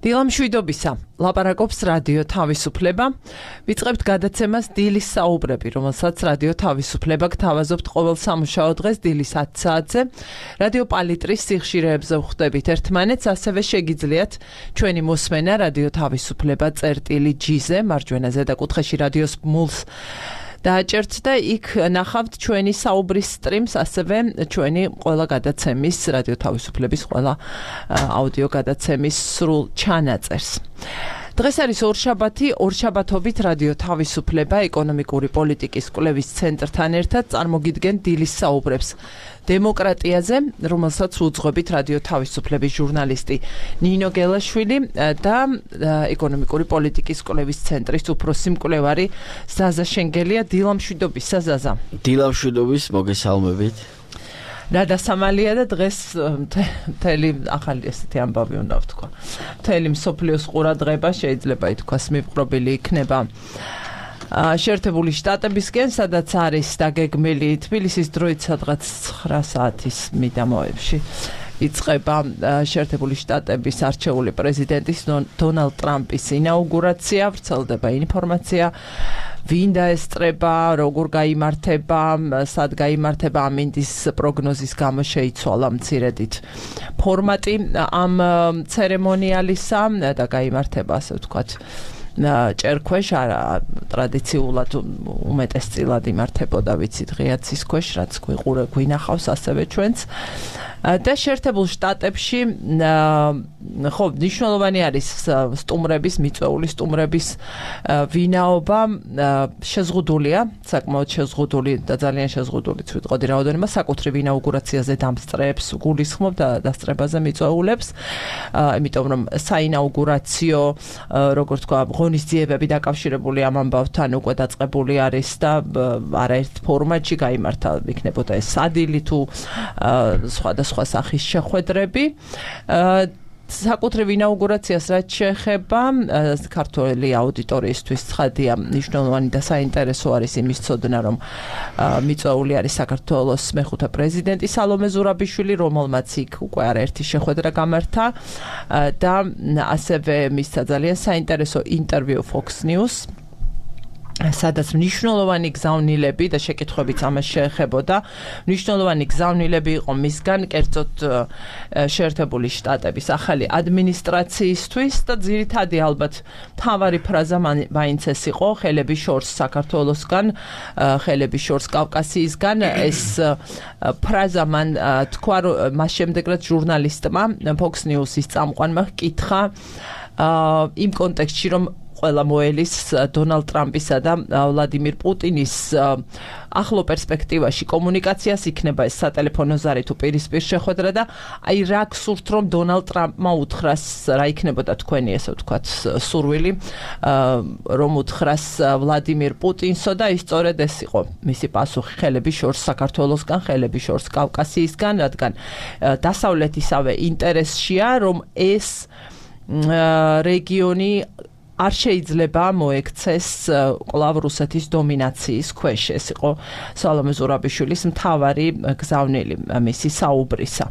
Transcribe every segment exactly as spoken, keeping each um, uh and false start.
დილამშვიდობისა, ლაპარაკობს რადიო თავისუფლება. ვიწყებთ გადაცემას დილის საუბრები, რომელსაც რადიო თავისუფლება გთავაზობთ ყოველ სამუშაო დღეს დილის ათი საათზე. რადიო პალიტრის სიხშირეებზე ვხვდებით ერთმანეთს, ასევე შეგიძლიათ ჩვენი მოსმენა რადიო თავისუფლება წერტილი ჯი-ზე, მარჯვენა ზედაკუთხეში რადიოს მულს დააჭერთ და იქ ნახავთ ჩვენი საუბრის სტრიმს, ასევე ჩვენი ყველა გადაცემის, რადიო თავისუფლების ყველა აუდიო გადაცემის სრულ ჩანაწერს. დღეს არის ორშაბათი, ორშაბათობით რადიო თავისუფლება ეკონომიკური პოლიტიკის კვლევის ცენტრთან ერთად წარმოგიდგენ დილის საუბრებს დემოკრატიაზე, რომელსაც უძღვებით რადიო თავისუფლების ჟურნალისტი ნინო გელაშვილი და ეკონომიკური პოლიტიკის კვლევის ცენტრის უფროსი მკვლევარი ზაზა შენგელია. დილამშვიდობისა ზაზა. დილამშვიდობის, მოგესალმებით. რა დასამალია და დღეს მთელი ახალი ესეთი ამბავი უნდა ვთქვა. მთელი მსოფლიოს ყურადღება შეიძლება ითქვას მიპყრობილი იქნება შეერთებული შტატებისკენ, სადაც არის დაგეგმილი თბილისის დროით სადღაც ცხრა საათის მიდამოებში იწყება შეერთებული შტატების არჩეული პრეზიდენტის დონალდ ტრამპის ინაუგურაცია, ვრცელდება ინფორმაცია ვინ დაესწრება, როგორ გაიმართება, სად გაიმართება, ამინდის პროგნოზის გამო შეიცვალა მცირედით ფორმატი ამ ცერემონიალისა და გაიმართება, ასე ვთქვათ, ჭერქვეშ, არა ტრადიციულად უმეტესწილად იმართებოდა, ვიცით, ღიაცის ქვეშ, რაც გვიყურე, გვინახავს ასევე ჩვენც. და შეერთებულ შტატებში ხო მნიშვნელოვანი არის სტუმრების, მიწვეული სტუმრების ვინაობა, შეზღუდულია, საკმაოდ შეზღუდული და ძალიან შეზღუდულიც ვიტყოდი რაოდენობა საკუთრივ ინაუგურაციაზე დამსწრეებს გულისხმობ და დასწრებაზე მიწვეულებს, იმიტომ რომ საინაუგურაციო, როგორ თქვა, ღონისძიებები დაკავშირებული ამ ამბავთან უკვე დაწყებული არის და არაერთ ფორმატში გაიმართა, იქნებოდა ეს სადილი თუ სხვადასხვა სხვა სახის შეხვედრები. საკუთრივ ინაუგურაციას რაც შეეხება, ქართველი აუდიტორიისთვის ცხადია, მნიშვნელოვანი და საინტერესო არის იმის ცოდნა, რომ მიწვეული არის საქართველოს მეხუთე პრეზიდენტი სალომე ზურაბიშვილი, რომელმაც იქ უკვე არაერთი შეხვედრა გამართა და ასევე მისცა ძალიან საინტერესო ინტერვიუ Fox News, სადაც მნიშვნელოვანი გზავნილები და შეკითხვებიც ამას შეეხებოდა, მნიშვნელოვანი გზავნილები იყო მისგან, კერძოდ შეერთებული შტატების ახალი ადმინისტრაციისთვის და ძირითადი ალბათ მთავარი ფრაზა მაინც ეს იყო, ხელები შორს საქართველოსგან, ხელები შორს კავკასიისგან. ეს ფრაზა მან თქვა, მას შემდეგ რაც ჟურნალისტმა Fox News-ის წამყვანმა ჰკითხა იმ კონტექსტში, რომ ყველა მოელის დონალდ ტრამპისა და ვლადიმირ პუტინის ახლო პერსპექტივაში კომუნიკაციას, იქნება ეს სატელეფონო ზარი თუ პირისპირ შეხვედრა და აი რა გსურთ, რომ დონალდ ტრამპმა უთხრას, რა იქნებოდა თქვენი, ესე ვთქვათ, სურვილი, რომ უთხრას ვლადიმირ პუტინსო და ის სწორედ ეს იყო მისი პასუხი, ხელები შორს საქართველოსგან, ხელები შორს კავკასიისგან, რადგან დასავლეთისავე ინტერესშია, რომ ეს რეგიონი არ შეიძლება მოექცეს კვლავ რუსეთის დომინაციის ქვეშ. ეს იყო სალომე ზურაბიშვილის მთავარი გზავნილი მისი საუბრისა.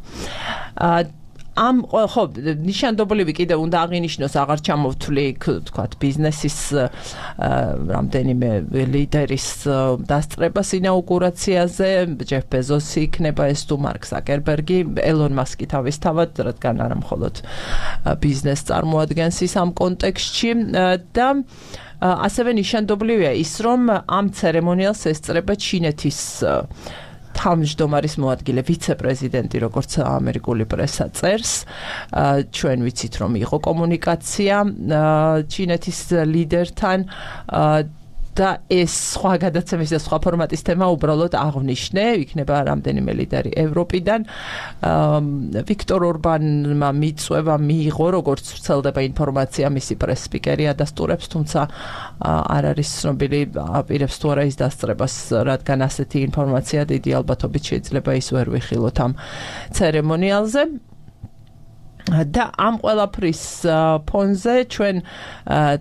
ამ ხო ნიშანდობლივი კიდევ უნდა აღინიშნოს, აღარ ჩამოვთვლი, თქვათ, ბიზნესის რამდენიმე ლიდერის დასწრებას ინაუგურაციაზე, ჯეფ ბეზოსი იქნება ეს თუ მარკ ზაკერბერგი, ელონ მასკი თავისთავად, რადგან არა მხოლოდ ბიზნესს წარმოადგენს ის ამ კონტექსტში და ასევე ნიშანდობლივია ის, რომ ამ ცერემონიალს ესწრება ჩინეთის თავმჯდომარის მოადგილე ვიცე-პრეზიდენტი, როგორც ამერიკული პრესა წერს. ჩვენ ვიცით, რომ იყო კომუნიკაცია ჩინეთის ლიდერთან და ეს სხვა გადაცემის და სხვა ფორმატის თემა უბრალოდ აღნიშნე, იქნება რამდენიმე ლიდერი ევროპიდან. ვიქტორ ორბანმა მიწვევა მიიღო, როგორც ვრცელდება ინფორმაცია, მისი პრეს-სპიკერი ადასტურებს, თუმცა არ არის ცნობილი, აპირებს თუ არა ის დასწრებას, რადგან ასეთი ინფორმაცია დიდი ალბათობით შეიძლება ის ვერ ვიხილოთ ამ ცერემონიალზე. და ამ ყველაფრის ფონზე ჩვენ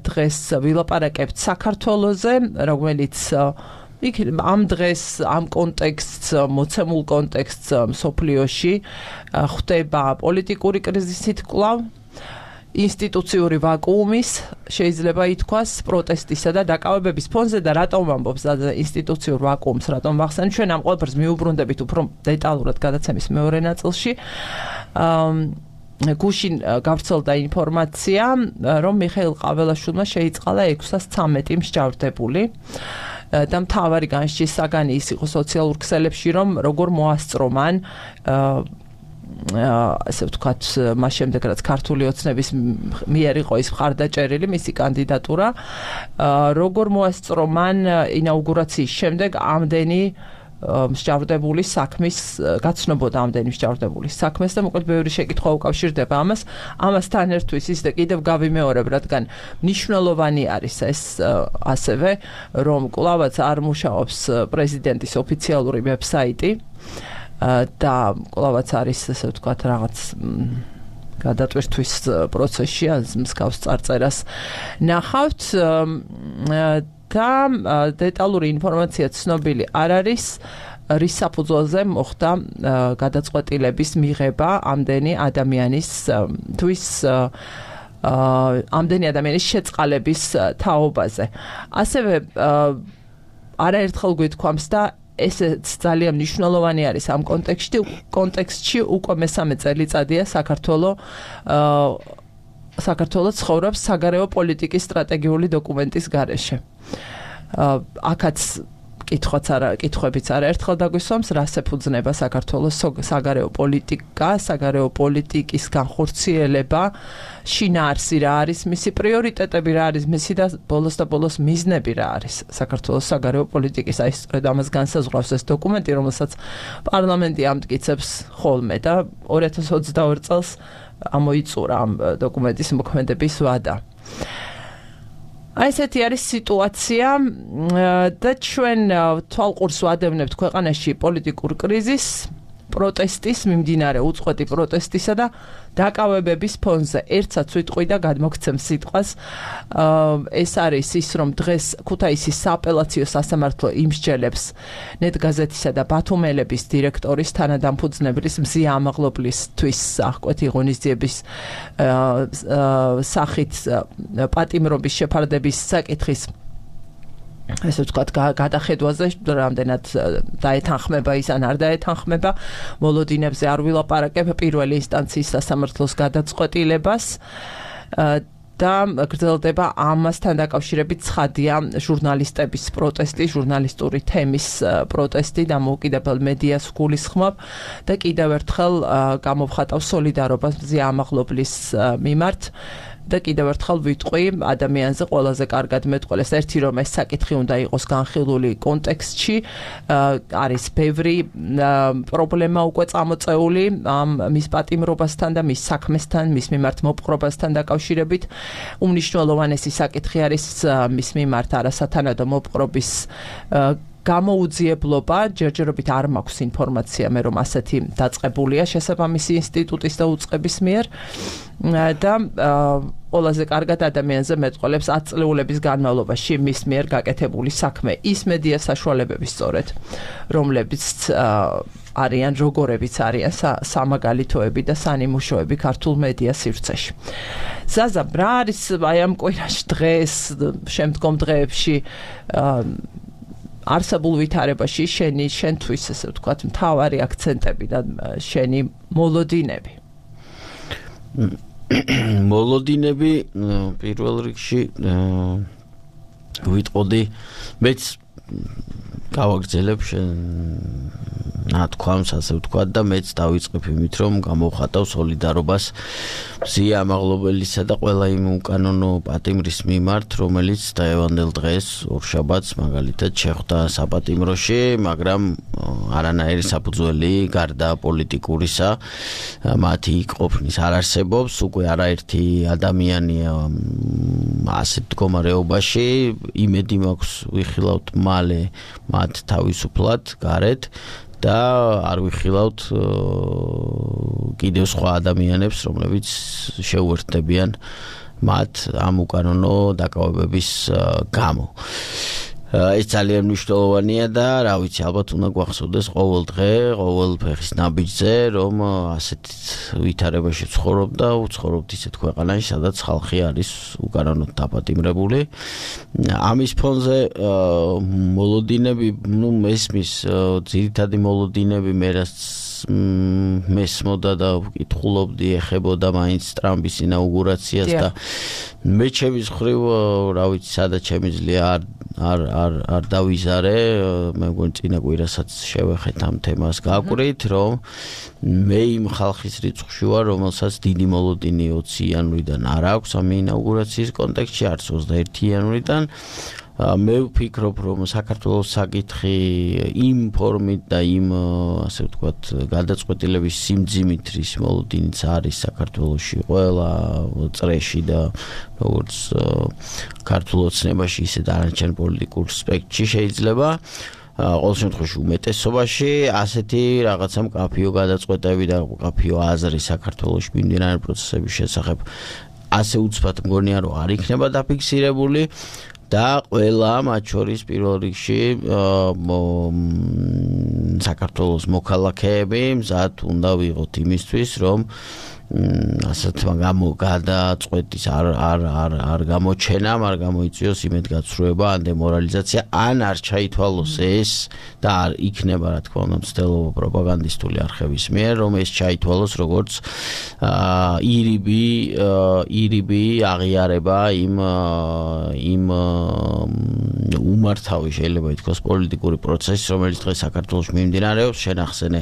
დღეს ვილაპარაკებთ საქართველოზე, რომელიც იქ ამ დღეს ამ კონტექსტს, მოცემულ კონტექსტს მსოფლიოში ხდება პოლიტიკური კრიზისით კვლავ. ინსტიტუციური ვაკუუმის შეიძლება ითქვას პროტესტისა და დაკავებების ფონზე და რატომ ამბობს ინსტიტუციურ ვაკუუმს, რატომ ვახსენებ, ჩვენ ამ ყველაფერს მიუბრუნდებით უფრო დეტალურად გადაცემის მეორე ნაწილში. გუშინ გავრცელდა ინფორმაცია, რომ მიხეილ ყაველაშვილმა შეიწყალა ექვსას ცამეტი მსჯავრდებული და მთავარი განსჯის საგანი ის იყო სოციალურ ქსელებში, რომ როგორ მოასწრო მან ასე ვთქვათ, მას შემდეგ რაც ქართული ოცნების მიერ იყო ის მხარდაჭერილი მისი კანდიდატურა, როგორ მოასწრო მან ინაუგურაციის შემდეგ ამდენი მსჯავრდებული საქმის გაცნობოდა ამდენი მსჯავრდებული საქმეს და მოკლედ ბევრი შეკითხვა უკავშირდება ამას. ამასთან ერთვის ის და კიდევ გავიმეორებ, რადგან მნიშვნელოვანი არის ეს ასევე, რომ კვლავაც არ მუშაობს პრეზიდენტის ოფიციალური ვებსაიტი და კვლავაც არის ასე ვთქვათ რაღაც გადატვირთვის პროცესში, მსგავს წარწერას ნახავთ და დეტალური ინფორმაცია ცნობილი არ არის, რის საფუძველზე მოხდა გადაწყვეტილების მიღება ამდენი ადამიანის თვის ამდენი ადამიანის შეწყალების თაობაზე. ასევე არაერთხელ გვითქვამს და ესეც ძალიან მნიშვნელოვანი არის ამ კონტექსტში, კონტექსტში უკვე მესამე წელიწადია საქართველოს საქართველოს ცხოვრობს საგარეო პოლიტიკის სტრატეგიული დოკუმენტის გარეშე. აქაც კითხვაც არა, კითხვებიც არაერთხელ დაგვისვამს, რას ეფუძნება საქართველოს საგარეო პოლიტიკა, საგარეო პოლიტიკის განხორციელება, შინაარსი რა არის, მისი პრიორიტეტები რა არის, მისი და ბოლოს და ბოლოს მიზნები რა არის საქართველოს საგარეო პოლიტიკის. აი სწორედ ამას განსაზღვრავს ეს დოკუმენტი, რომელსაც პარლამენტი ამტკიცებს ხოლმე და ორი ათას ოცდაორი წელს ამოიწურა ამ დოკუმენტის მოქმედების ვადა. აი ესეთი არის სიტუაცია და ჩვენ თვალყურს ვადევნებთ ქვეყანაში პოლიტიკურ კრიზისს, პროტესტის, მიმდინარე უწყვეტი პროტესტისა და დაკავებების ფონზე. ერთსაც ვიტყვი და გადმოგცემ სიტყვას. ეს არის ის, რომ დღეს ქუთაისის სააპელაციო სასამართლო იმსჯელებს ნეტგაზეთისა და ბათუმელების დირექტორის თანადამფუძნებლის მზია ამაღლობლისთვის აღკვეთი ღონისძიების სახით პატიმრობის შეფარდების საკითხის ესე ვთქვათ, გადახედვაზე რამდენად დაეთანხმება ის ან არ დაეთანხმება, მოლოდინებზე არ ვილაპარაკებ პირველი ინსტანციის სასამართლოს გადაწყვეტილებას და გრძელდება ამასთან დაკავშირებით ცხადია ჟურნალისტების პროტესტი, ჟურნალისტური თემის პროტესტი, დამოუკიდებელ მედიას გულისხმობ და კიდევ ერთხელ გამოვხატავ სოლიდარობას მზია ამაღლობლის მიმართ. და კიდევ ერთხელ ვიტყვი ადამიანზე ყველაზე კარგად მეტყველეს ერთი რომ ეს საკითხი უნდა იყოს განხილული კონტექსტში, არის ბევრი პრობლემა უკვე წამოწეული ამ მის პატიმრობასთან და მის საქმესთან, მის მიმართ მოპყრობასთან დაკავშირებით. უმნიშვნელოვანესი საკითხი არის მის მიმართ არასათანადო მოპყრობის გამოუძიებლობა, ჯერჯერობით არ მაქვს ინფორმაცია მე რომ ასეთი დაწყებულია შესაბამისი ინსტიტუტის და უწყების მიერ და ყველაზე კარგად ადამიანზე მეტყოლებს ათი წლეულების განმავლობაში მის მიერ გაკეთებული საქმე, ის მედია საშუალებები სწორედ, რომლებიც არიან როგორებიც არიან სამაგალითოები და სანიმუშოები ქართულ მედია სივრცეში. ზაზა, რა არის აი ამ კვირაში დღეს, შემდგომ დღეებში არსებულ ვითარებაში შენი შენთვის ესე ვთქვათ მთავარი აქცენტები და შენი მოლოდინები? მოლოდინები პირველ რიგში ვიტყოდი მეც გავაგრძელებ შენ ნათქვამს ასე ვთქვათ და მეც დავიწყებ იმით რომ გამოვხატავ სოლიდარობას მზია ამაღლობელისა და ყველა იმ უკანონო პატიმრის მიმართ რომელიც დაევანდელ დღეს ორშაბათს მაგალითად შეხვდა საპატიმროში, მაგრამ არანაირი საფუძველი გარდა პოლიტიკურისა მათი ყოფნის არ არსებობს, უკვე არაერთი ადამიანია ასეთ მდგომარეობაში, იმედი მაქვს ვიხილავთ მალე მათ თავისუფლად გარეთ და არ ვიხილავთ კიდევ სხვა ადამიანებს, რომლებიც შეუერთდებიან მათ ამ უკანონო დაკავებების გამო. ეს ძალიან მნიშვნელოვანია და რა ვიცი, ალბათ უნდა გვახსოვდეს ყოველ დღე, ყოველ ფეხის ნაბიჯზე, რომ ასეთ ვითარებაში ცხოვრობ და უცხოვრობთ ისეთ ქვეყანაში, სადაც ხალხი არის უკანონოდ დაპატიმრებული. ამის ფონზე მოლოდინები, ნუ მესმის ძირითადი მოლოდინები მე რაც მესმოდა და ვკითხულობდი, ეხებოდა მაინც ტრამპის ინაუგურაციას და მე ჩემის მხრივ, რა ვიცი, სადაც შემიძლია არ არ არ არ დავიზარე, მე მგონი წინა კვირასაც შევეხეთ ამ თემას გაკვირით, რომ მე იმ ხალხის რიცხვში ვარ, რომელსაც დიდი მოლოდინი ოცი იანვრიდან არ აქვს ამ ინაუგურაციის კონტექსტში, არც ოცდაერთი იანვრიდან. მე ვფიქრობ, რომ საქართველოს საკითხი იმ ფორმით და იმ, ასე ვთქვათ, გადაწყვეტილების სიმძიმით, რის მოლოდინიც არის საქართველოში ყველა წრეში და როგორც ქართულ ოცნებაში, ისე დანარჩენ პოლიტიკურ სპექტრში შეიძლება ყოველ შემთხვევაში უმეტესობაში ასეთი რაღაცა მკაფიო გადაწყვეტები და მკაფიო აზრი საქართველოში მიმდინარე პროცესების შესახებ ასე უცბად მგონია, რომ არ იქნება დაფიქსირებული. და ყველა მათ შორის პირველ რიგში საქართველოს მოქალაქეები მზად უნდა ვიყოთ იმისთვის, რომ ასეთ გადაწყვეტის არ არ არ არ გამოჩენამ, არ გამოიწვიოს იმედგაცრუება ან დემორალიზაცია, ან არ ჩაითვალოს ეს და არ იქნება, რა თქმა უნდა, მცდელობა პროპაგანდისტული არხების მიერ, რომ ეს ჩაითვალოს როგორც ირიბი ირიბი აღიარება იმ იმ უმართავი შეიძლება ითქვას პოლიტიკური პროცესი, რომელიც დღეს საქართველოში მიმდინარეობს, შენახსენე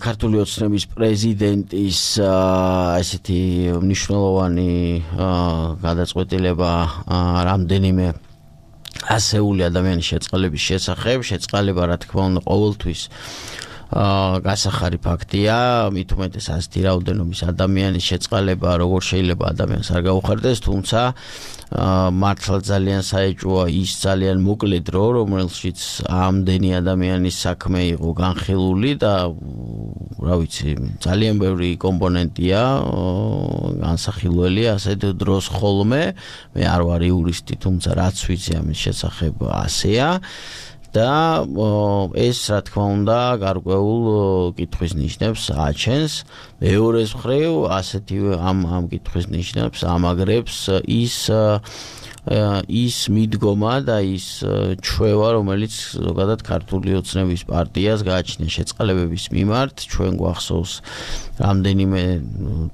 ქართული ოცნების პრეზიდენტის ესეთი მნიშვნელოვანი გადაწყვეტილება რამდენიმე ასეული ადამიანის შეწყალების შესახებ, შეწყალება რა თქმა უნდა ყოველთვის გასახარი ფაქტია, მით უმეტეს ასეთი რაოდენობის ადამიანის შეწყალება როგორ შეიძლება ადამიანს არ გაუხარდეს, თუმცა მართლა ძალიან საეჭვოა ის ძალიან მოკლე დრო, რომელშიც ამდენი ადამიანის საქმე იყო განხილული და რა ვიცი, ძალიან ბევრი კომპონენტია განსახილველი ასეთ დროს ხოლმე. მე არ ვარ იურისტი, თუმცა რაც ვიცი ამის შესახებ ასეა. და ეს რა თქმა უნდა გარკვეულ კითხვის ნიშნებს აჩენს. მეორეს მხრივ ასეთივე ამ ამ კითხვის ნიშნებს ამაგრებს ის ის მიდგომა და ის ჩვევა, რომელიც ზოგადად ქართული ოცნების პარტიას გააჩნია შეწყალებების მიმართ. ჩვენ გვახსოვს რამდენიმე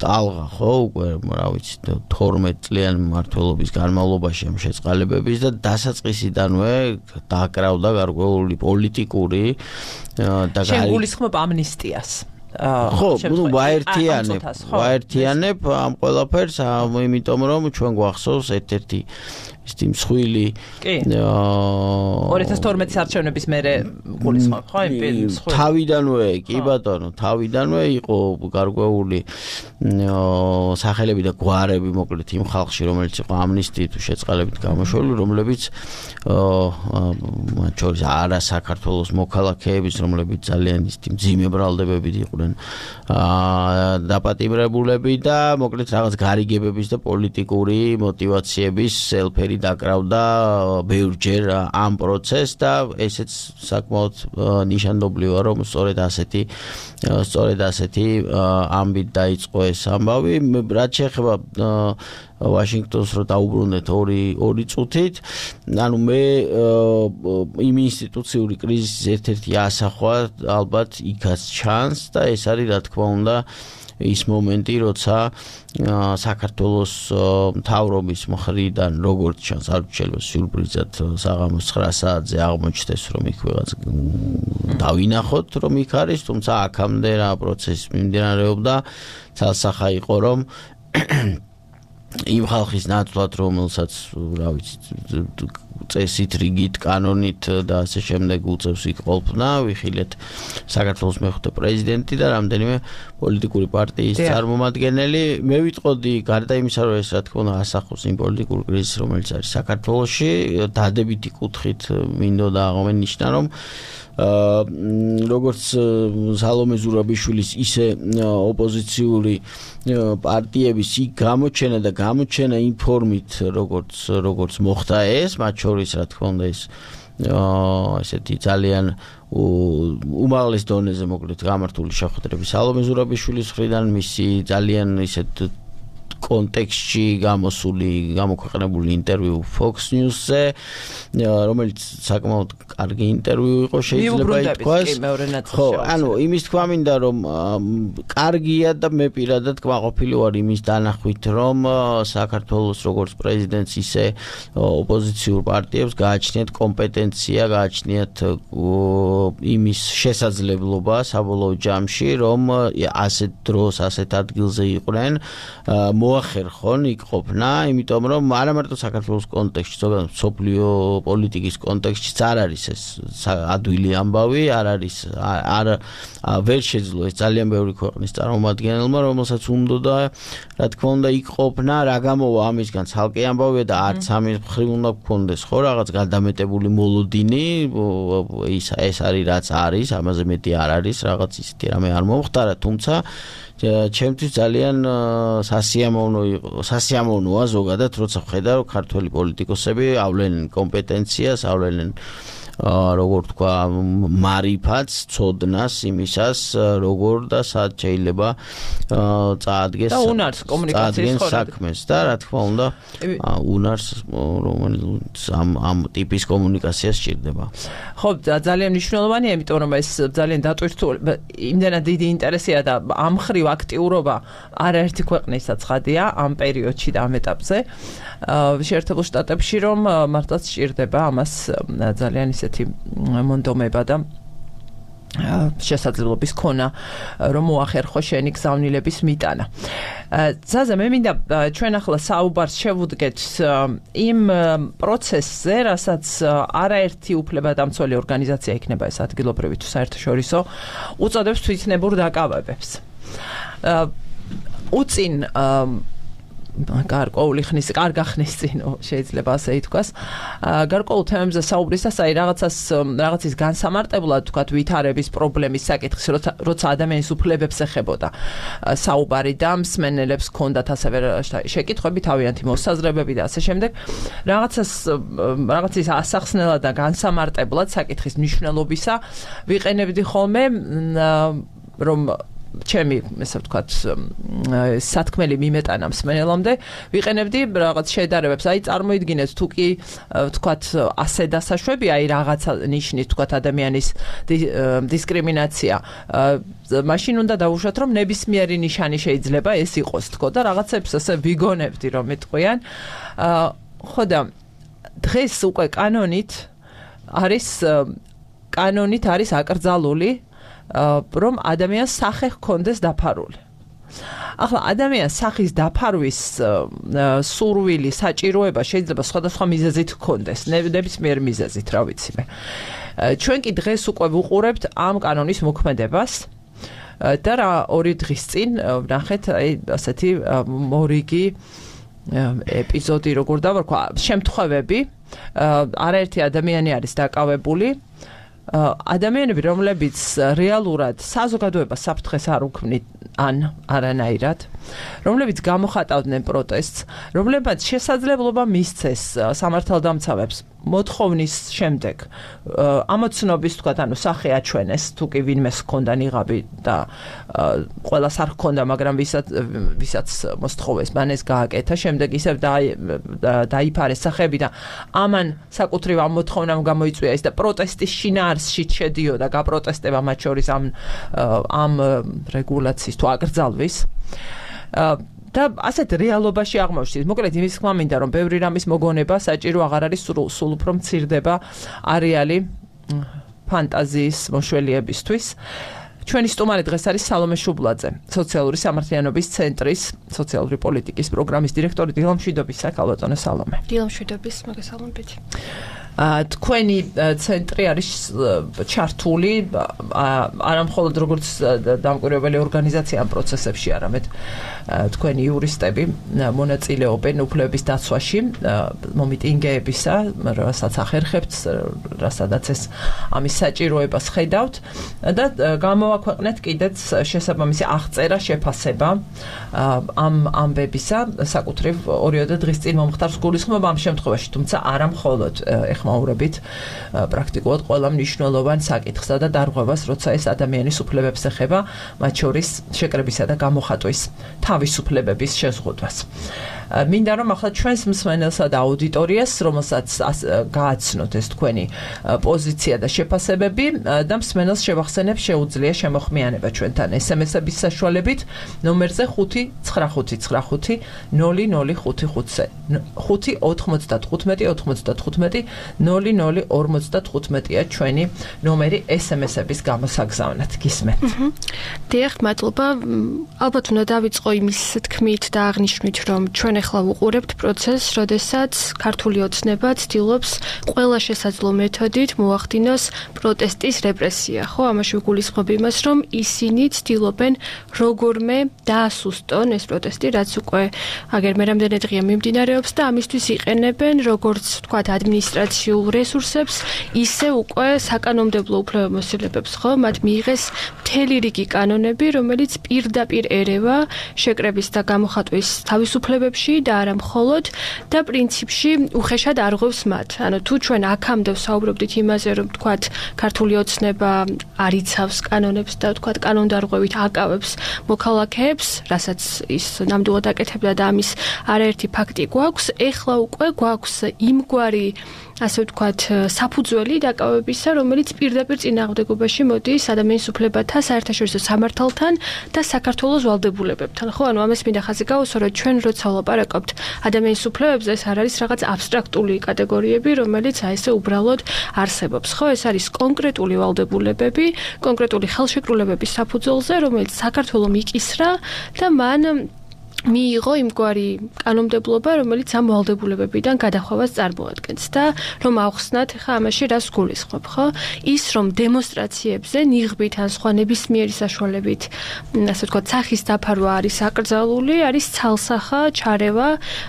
ტალღა, ხო, უკვე რა ვიცი, თორმეტ წლიანი მმართველობის განმავლობაში ამ შეწყალებების და დასაწყისიდანვე დაკრავდა გარკვეული პოლიტიკური და შეგულისხმობ ამნისტიას. ხო, ნუ ვაერთიანებ, ვაერთიანებ ამ ყველაფერს, იმიტომ რომ ჩვენ გვახსოვს ერთ-ერთი ის მსხვილი ორი ათას თორმეტის არჩევნების მერე გულისხმობ, ხო, იმ მსხვილი. თავიდანვე, კი ბატონო, თავიდანვე იყო გარკვეული სახელები და გვარები, მოკლედ იმ ხალხში, რომელიც იყო ამნისტიით შეწყალებით გამოშვებული, რომლებიც მათ შორის არა საქართველოს მოქალაქეების, რომლებიც ძალიან ისეთი მძიმე ბრალდებებით იყვნენ დაპატიმრებულები და მოკლედ რაღაც გარიგებების და პოლიტიკური მოტივაციების ელფერი დაკრავდა ბევრჯერ ამ პროცესს და ესეც საკმაოდ ნიშანდობლივია, რომ სწორედ ასეთი სწორედ ასეთი ამბით დაიწყო ეს ამბავი. რაც შეეხება ვაშინგტონს რო დაუბრუნდეთ ორი ორი წუთით, ანუ მე იმ ინსტიტუციური კრიზისის ერთ-ერთი ასახვა ალბათ იქაც ჩანს და ეს არის რა თქმა უნდა ის მომენტი, როცა საქართველოს მთავრობის მხრიდან როგორც ჩანს, არ შეიძლება სიურპრიზად საღამოს ცხრა საათზე აღმოჩნდეს, რომ იქ ვიღაც დავინახოთ, რომ იქ არის, თუმცა აქამდე რა პროცესი მიმდინარეობდა, ცალსახა იყო, რომ იმ ხალხის ნაცვლად, რომელსაც რა ვიცი, წესით, რიგით, კანონით და ასე შემდეგ უწევს იქ ყოფნა, ვიხილეთ საქართველოს მეხუთე პრეზიდენტი და რამდენიმე პოლიტიკური პარტიის წარმომადგენელი. მე ვიტყოდი, გარდა იმისა, რომ ეს რა თქმა უნდა ასახავს იმ პოლიტიკურ კრიზისს, რომელიც არის საქართველოში, დადებითი კუთხით მინდოდა აღმენიშნა, რომ როგორც სალომე ზურაბიშვილის ისე ოპოზიციური პარტიების იქ გამოჩენა და გამოჩენა იმ ფორმით როგორც როგორც მოხდა ეს მათ შორის რა თქმა უნდა ეს ესეთი ძალიან უმაღლეს დონეზე მოკლედ გამართული შეხვედრები სალომე ზურაბიშვილის მხრიდან მისი ძალიან ისეთ კონტექსტში გამოსული გამოქვეყნებული ინტერვიუ Fox News-ზე რომელიც საკმაოდ კარგი ინტერვიუ იყო შეიძლება ითქვას ხო ანუ იმის თქვა მინდა რომ კარგია და მე პირადად კმაყოფილი ვარ იმის დანახვით რომ საქართველოს როგორც პრეზიდენტს ისე ოპოზიციურ პარტიებს გააჩნიათ კომპეტენცია გააჩნიათ იმის შესაძლებლობა საბოლოო ჯამში რომ ასეთ დროს ასეთ ადგილზე იყვნენ მოახერხონ იქ ყოფნა, იმიტომ რომ არა მარტო საქართველოს კონტექსტში, ზოგადად სოფლიო პოლიტიკის კონტექსტშიც არ არის ეს ადვილი ამბავი, არ არის არ ვერ შეძლო ეს ძალიან ბევრი ქვეყნის წარმომადგენელმა, რომელსაც უნდოდა რა თქმა უნდა იქ ყოფნა, რა გამოვა ამისგან ცალკე ამბავია და არც ამის მხრივ უნდა გქონდეს ხო რაღაც გადამეტებული მოლოდინი, ის ეს არის რაც არის, ამაზე მეტი არ არის, რაღაც ისეთი რამე არ მომხდარა, თუმცა ჩემთვის ძალიან სასიამოვნო იყო, სასიამოვნოა ზოგადად, როცა ხედავ რომ ქართველი პოლიტიკოსები ავლენენ კომპეტენციას, ავლენენ როგორ თქვა მარიფაც, ცოდნას იმისას, როგორ და სად შეიძლება წაადგეს და უნარს კომუნიკაციის საქმეს და რა თქმა უნდა უნარს რომელიც ამ ამ ტიპის კომუნიკაციას სჭირდება. ხო, ძალიან მნიშვნელოვანია, იმიტომ რომ ეს ძალიან დატვირთული, იმდენად დიდი ინტერესია და ამ ხრივ აქტიურობა არაერთი ქვეყნისა ცხადია ამ პერიოდში და ამ ეტაპზე. შეერთებულ შტატებში რომ მართლაც სჭირდება ამას ძალიან ისეთი მონდომება და შესაძლებლობის ქონა რომ მოახერხო შენი გზავნილების მიტანა. ზაზა მე მინდა ჩვენ ახლა საუბარს შევუდგეთ იმ პროცესზე, რასაც არაერთი უფლებადამცველი ორგანიზაცია იქნება ეს ადგილობრივი თუ საერთაშორისო უწოდებს თვითნებურ დაკავებებს. უწინ გარკვეული ხნის, კარგა ხნის წინ შეიძლება ასე ითქვას. გარკვეულ თემებზე საუბრისას აი რაღაცას რაღაცის განსამარტებლად თქვათ ვითარების პრობლემის საკითხის, როცა ადამიანის უფლებებს ეხებოდა საუბარი და მსმენელებს ჰქონდათ ასევე შეკითხვები, თავიანთი მოსაზრებები და ასე შემდეგ. რაღაცას რაღაცის ასახსნელად და განსამარტებლად საკითხის მნიშვნელობისა ვიყენებდი ხოლმე რომ ჩემი, ესე ვთქვათ, სათქმელი მიმეტანა მსმენელამდე, ვიყენებდი რაღაც შედარებებს. აი, წარმოიდგინეთ, თუ კი ვთქვათ, ასე დასაშვები, აი რაღაცა ნიშნის, ვთქვათ, ადამიანის დისკრიმინაცია, მაშინ უნდა დავუშვათ, რომ ნებისმიერი ნიშანი შეიძლება ეს იყოს, თქო და რაღაცებს ასე ვიგონებდი, რომ მეტყვიან. ხო და დღეს უკვე კანონით არის კანონით არის აკრძალული რომ ადამიანს სახე ჰქონდეს დაფარული. ახლა ადამიანს სახის დაფარვის სურვილი, საჭიროება შეიძლება სხვადასხვა მიზეზით ჰქონდეს, ნებისმიერ მიზეზით, რა ვიცი მე. ჩვენ კი დღეს უკვე ვუყურებთ ამ კანონის მოქმედებას და რა ორი დღის წინ ვნახეთ აი ასეთი მორიგი ეპიზოდი, როგორ დავარქვა, შემთხვევები, არაერთი ადამიანი არის დაკავებული. ადამიანები, რომლებიც რეალურად საზოგადოებას საფრთხეს არ უქმნით ან არანაირად, რომლებიც გამოხატავდნენ პროტესტს, რომლებმაც შესაძლებლობა მისცეს სამართალდამცავებს მოთხოვნის შემდეგ ამოცნობის, თქვათ, ანუ სახე აჩვენეს, თუ კი ვინმეს ჰქონდა ნიღაბი და ყველას არ ჰქონდა, მაგრამ ვისაც ვისაც მოსთხოვეს, მან ეს გააკეთა, შემდეგ ისევ დაიფარეს სახეები და ამან საკუთრივ ამ მოთხოვნამ გამოიწვია ეს და პროტესტის შინაარსში შედიოდა გაპროტესტება მათ შორის ამ ამ რეგულაციის თუ აკრძალვის. და ასეთ რეალობაში აღმოჩნდით. მოკლედ იმის თქმა მინდა, რომ ბევრი რამის მოგონება საჭირო აღარ არის, სულ უფრო მცირდება არეალი ფანტაზიის მოშველიებისთვის. ჩვენი სტუმარი დღეს არის სალომე შუბლაძე, სოციალური სამართლიანობის ცენტრის სოციალური პოლიტიკის პროგრამის დირექტორი. დილამშვიდობის, ქალბატონო სალომე. დილამშვიდობის, მოგესალმებით. თქვენი ცენტრი არის ჩართული არა მხოლოდ როგორც დამკვირვებელი ორგანიზაცია ამ პროცესებში, არამედ თქვენი იურისტები მონაწილეობენ უფლებების დაცვაში მომიტინგეებისა, რასაც ახერხებთ, რასაც ეს ამის საჭიროებას ხედავთ და გამოვაქვეყნეთ კიდეც შესაბამისი აღწერა შეფასება ამ ამბებისა საკუთრივ ორიოდე დღის წინ მომხდარს გულისხმობა ამ შემთხვევაში, თუმცა არა მხოლოდ ეხმაურებით პრაქტიკულად ყველა მნიშვნელოვან საკითხსა და დარღვევას, როცა ეს ადამიანის უფლებებს ეხება, მათ შორის შეკრებისა და გამოხატვის თავისუფლებების შეზღუდვას. მინდა რომ ახლა ჩვენს მსმენელსა და აუდიტორიას, რომელსაც გააცნოთ ეს თქვენი პოზიცია და შეფასებები და მსმენელს შევახსენებ, შეუძლია შემოხმიანება ჩვენთან ესემესების საშუალებით ნომერზე ხუთი ცხრა ხუთი ცხრა ხუთი ნული ნული ხუთი ხუთზე ხუთი ოცდათხუთმეტი ოცდათხუთმეტი ნული ნული ორმოცდათხუთმეტია ჩვენი ნომერი ესემესების გამოსაგზავნად. გისმენთ. დიახ, მადლობა. ალბათ უნდა დავიწყო იმის თქმით და აღნიშნვით, რომ ჩვენ ახლა ვუყურებთ პროცესს, როდესაც ქართული ოცნება ცდილობს ყველა შესაძლო მეთოდით მოახდინოს პროტესტის რეპრესია, ხო? ამაში ვიგულისხმობ იმას, რომ ისინი ცდილობენ როგორმე დაასუსტონ ეს პროტესტი, რაც უკვე აგერ მე რამდენი დღეა მიმდინარეობს და ამისთვის იყენებენ როგორც თქვათ ადმინისტრაციულ რესურსებს, ისე უკვე საკანონმდებლო უფლებამოსილებებს, ხო? მათ მიიღეს მთელი რიგი კანონები, რომელიც პირდაპირ ერევა შეკრების და გამოხატვის თავისუფლებებში და არა მხოლოდ და პრინციპში უხეშად არღვევს მათ. ანუ თუ ჩვენ აქამდე ვსაუბრობდით იმაზე, რომ თქვათ ქართული ოცნება არიცავს კანონებს და თქვათ კანონდარღვევით აკავებს მოქალაქეებს, რასაც ის ნამდვილად აკეთებდა და ამის არაერთი ფაქტი გვაქვს, ეხლა უკვე გვაქვს იმგვარი ასე ვთქვათ, საფუძველი დაკავებისა, რომელიც პირდაპირ წინააღმდეგობაში მოდის ადამიანის უფლებათა საერთაშორისო სამართალთან და საქართველოს ვალდებულებებთან. ხო, ანუ ამას მინდა ხაზი გავუსვა, რომ ჩვენ როცა ვლაპარაკობთ ადამიანის უფლებებზე, ეს არ არის რაღაც აბსტრაქტული კატეგორიები, რომელიც აი ესე უბრალოდ არსებობს. ხო, ეს არის კონკრეტული ვალდებულებები, კონკრეტული ხელშეკრულებების საფუძველზე, რომელიც საქართველოს მიკისრა და მან მიიღო იმგვარი კანონმდებლობა, რომელიც ამ ვალდებულებებიდან გადახვევას წარმოადგენს და რომ ავხსნათ ხა ამაში რას გულისხმობ, ხო? ის რომ დემონსტრაციებზე ნიღბით ან სხვა ნებისმიერი საშუალებით, ასე ვთქვათ, სახის დაფარვა არის აკრძალული, არის ცალსახა ჩარევა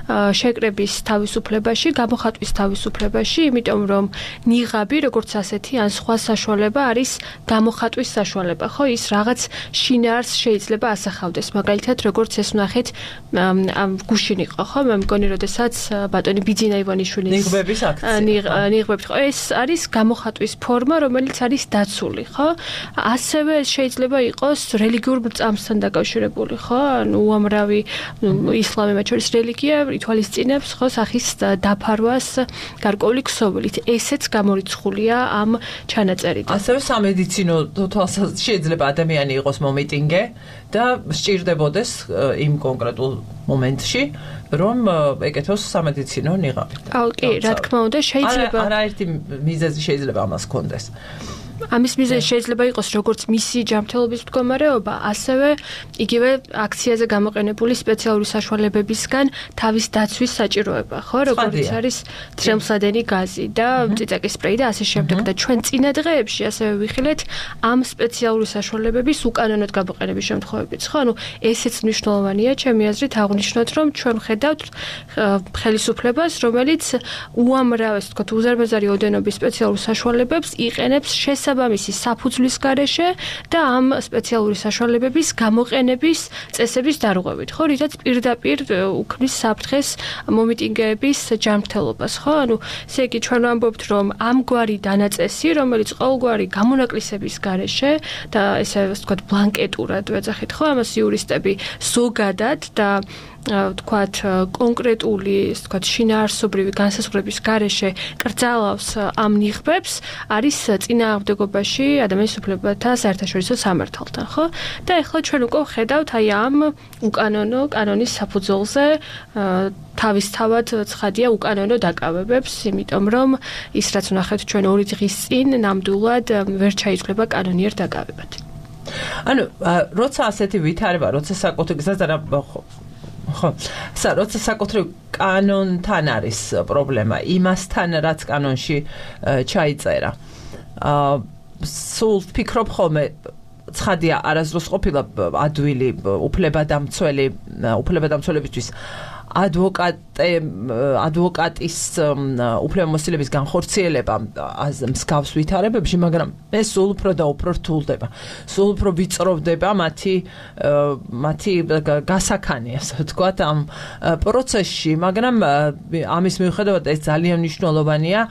შეკრების თავისუფლებაში, გამოხატვის თავისუფლებაში, იმიტომ რომ ნიღაბი, როგორც ასეთი, ან სხვა საშუალება არის გამოხატვის საშუალება, ხო? ის რაღაც შინაარსს შეიძლება ასახავდეს, მაგალითად, როგორც ეს ვნახეთ ამ გუშინ იყო, ხო? მე მგონი, როდესაც ბატონი ბიძინა ივანიშვილის ნიღბების აქცია. ნიღბებით, ხო? ეს არის გამოხატვის ფორმა, რომელიც არის დაცული, ხო? ასევე შეიძლება იყოს რელიგიურ წამსთან დაკავშირებული, ხო? ანუ უამრავი ისლამი მათ შორის რელიგია ითვალისწინებს, ხო, სახის დაფარვას გარკვეული ქსოვილით. ესეც გამორიცხულია ამ ჩანაწერიდან. ასევე სამედიცინო თვალსაზრისით შეიძლება ადამიანი იყოს მომიტინგე და სჭირდებოდეს იმ კონკრეტულ მომენტში, რომ ეკეთოს სამედიცინო ნიღაბი. აუ, კი, რა თქმა უნდა, შეიძლება არაერთი მიზეზი შეიძლება ამას ჰქონდეს. ამის მიზეზი შეიძლება იყოს როგორც მისი ჯანმრთელობის მდგომარეობა, ასევე იგივე აქციაზე გამოყენებული სპეციალური საშუალებებისგან თავის დაცვის საჭიროება, ხო, როგორც არის ცხელმსადენი გაზი და წიწაკის სპრეი და ასე შემდეგ და ჩვენ წინა დღეებში ასევე ვიხილეთ ამ სპეციალური საშუალებების უკანონოდ გამოყენების შემთხვევებიც, ხო, ანუ ესეც მნიშვნელოვანია, ჩემი აზრით აღვნიშნოთ, რომ ჩვენ ვხედავთ ხელისუფლებას, რომელიც უამრავ, ასე ვთქვათ, უზარმაზარი ოდენობის სპეციალურ საშუალებებს იყენებს შესაბამისი საფუძვლის გარეშე და ამ სპეციალური საშუალებების გამოყენების წესების დარღვევით, ხო, რითაც პირდაპირ უქმნის საფრთხეს მომიტინგეების ჯანმრთელობას, ხო? ანუ ესე იგი ჩვენ ვამბობთ, რომ ამგვარი დანაწესი, რომელიც ყოველგვარი გამონაკლისების გარეშე და ესე ვთქვათ ბლანკეტურად ვეძახით, ხო, ამას იურისტები ზოგადად და ვთქვათ კონკრეტული, ასე ვთქვათ, შინაარსობრივი განსაზღვრების გარეშე კრძალავს ამ ნიღბებს, არის წინააღმდეგობაში ადამიანის უფლებათა საერთაშორისო სამართალთან, ხო? და ეხლა ჩვენ უკვე ვხედავთ აი ამ უკანონო კანონის საფუძველზე თავისთავად ცხადია უკანონო დაკავებებს, იმიტომ რომ ის რაც ვნახეთ ჩვენ ორი დღის წინ ნამდვილად ვერ ჩაიცვლება კანონიერ დაკავებად. ანუ როცა ასეთი ვითარება, როცა საკუთი გზაზე ხო. სა როცა საკუთრივ კანონთან არის პრობლემა, იმასთან რაც კანონში ჩაიწერა. აა სულ ფიქრობ ხოლმე ცხადია არასდროს ყოფილა ადვილი უფლებადამცველი უფლებადამცველებისთვის ადვოკატე ადვოკატის უფლებამოსილების განხორციელება მსგავს ვითარებებში, მაგრამ ეს სულ უფრო და უფრო რთულდება. სულ უფრო ვიწროვდება მათი მათი გასაქანი, ასე ვთქვათ, ამ პროცესში, მაგრამ ამის მიუხედავად ეს ძალიან მნიშვნელოვანია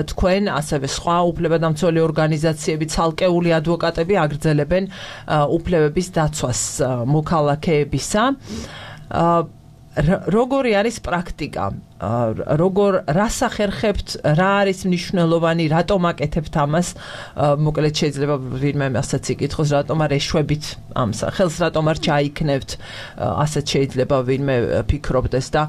თქვენ ასევე სხვა უფლებადამცველი ორგანიზაციები, ცალკეული ადვოკატები აგრძელებენ უფლებების დაცვას მოქალაქეებისა. როგორი არის პრაქტიკა? როგორ რას ახერხებთ, რა არის მნიშვნელოვანი, რატომ აკეთებთ ამას? მოკლედ შეიძლება ვინმე ასაც იკითხოს, რატომ არ ეშვებით ამ სახელს, რატომ არ ჩაიქნევთ, ასეთ შეიძლება ვინმე ფიქრობდეს და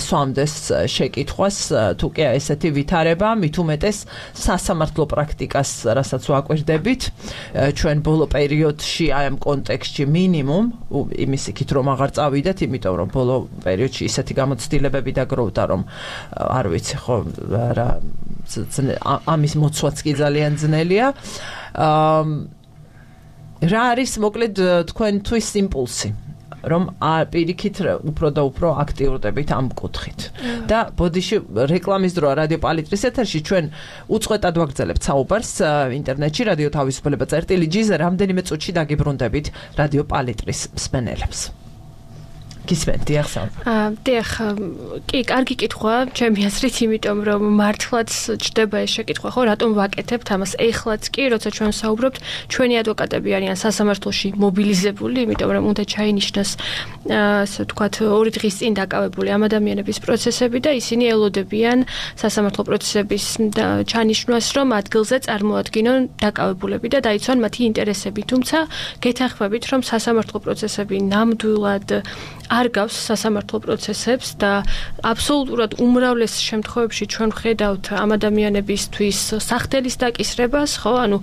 სვამდეს შეკითხვას, თუ კი ესეთი ვითარება, მით უმეტეს სასამართლო პრაქტიკას, რასაც ვაკვირდებით, ჩვენ ბოლო პერიოდში აი ამ კონტექსტში მინიმუმ, იმის იქით რომ აღარ წავიდეთ, იმიტომ რომ ბოლო პერიოდში ისეთი გამოცდილებები დაგროვდა, რომ არ ვიცი ხო რა ამის მოცვაც კი ძალიან ძნელია. რა არის მოკლედ თქვენთვის იმპულსი, რომ პირიქით უფრო და უფრო აქტიურდებით ამ კუთხით. და ბოდიში რეკლამის დროა რადიო პალიტრის ეთერში ჩვენ უწყვეტად ვაგრძელებთ საუბარს ინტერნეტში რადიო თავისუფლება წერტილი ჯი-ზე რამდენიმე წუთში დაგიბრუნდებით რადიო პალიტრის მსმენელებს. გისმენთ ახსოვ. აა დიახ, კი, კარგი კითხვა, ჩემი აზრით, იმიტომ რომ მართლაც ჯდება ეს შეკითხვა, ხო, რატომ ვაკეთებთ ამას? ეხლაც კი, როცა ჩვენ საუბრობთ, ჩვენი ადვოკატები არიან სასამართლოში მობილიზებული, იმიტომ რომ უნდა ჩაინიშნოს, ასე ვთქვათ, ორი დღის წინ დაკავებული ამ ადამიანების პროცესები და ისინი ელოდებიან სასამართლო პროცესების ჩანიშნვას, რომ ადგილზე წარმოადგინონ დაკავებულები და დაიცვან მათი ინტერესები. თუმცა გეთანხმებით, რომ სასამართლო პროცესები ნამდვილად არ გავს სასამართლო პროცესებს და აბსოლუტურად უმრავლეს შემთხვევებში ჩვენ ვხედავთ ამ ადამიანებისთვის სახთელის დაკისრებას, ხო, ანუ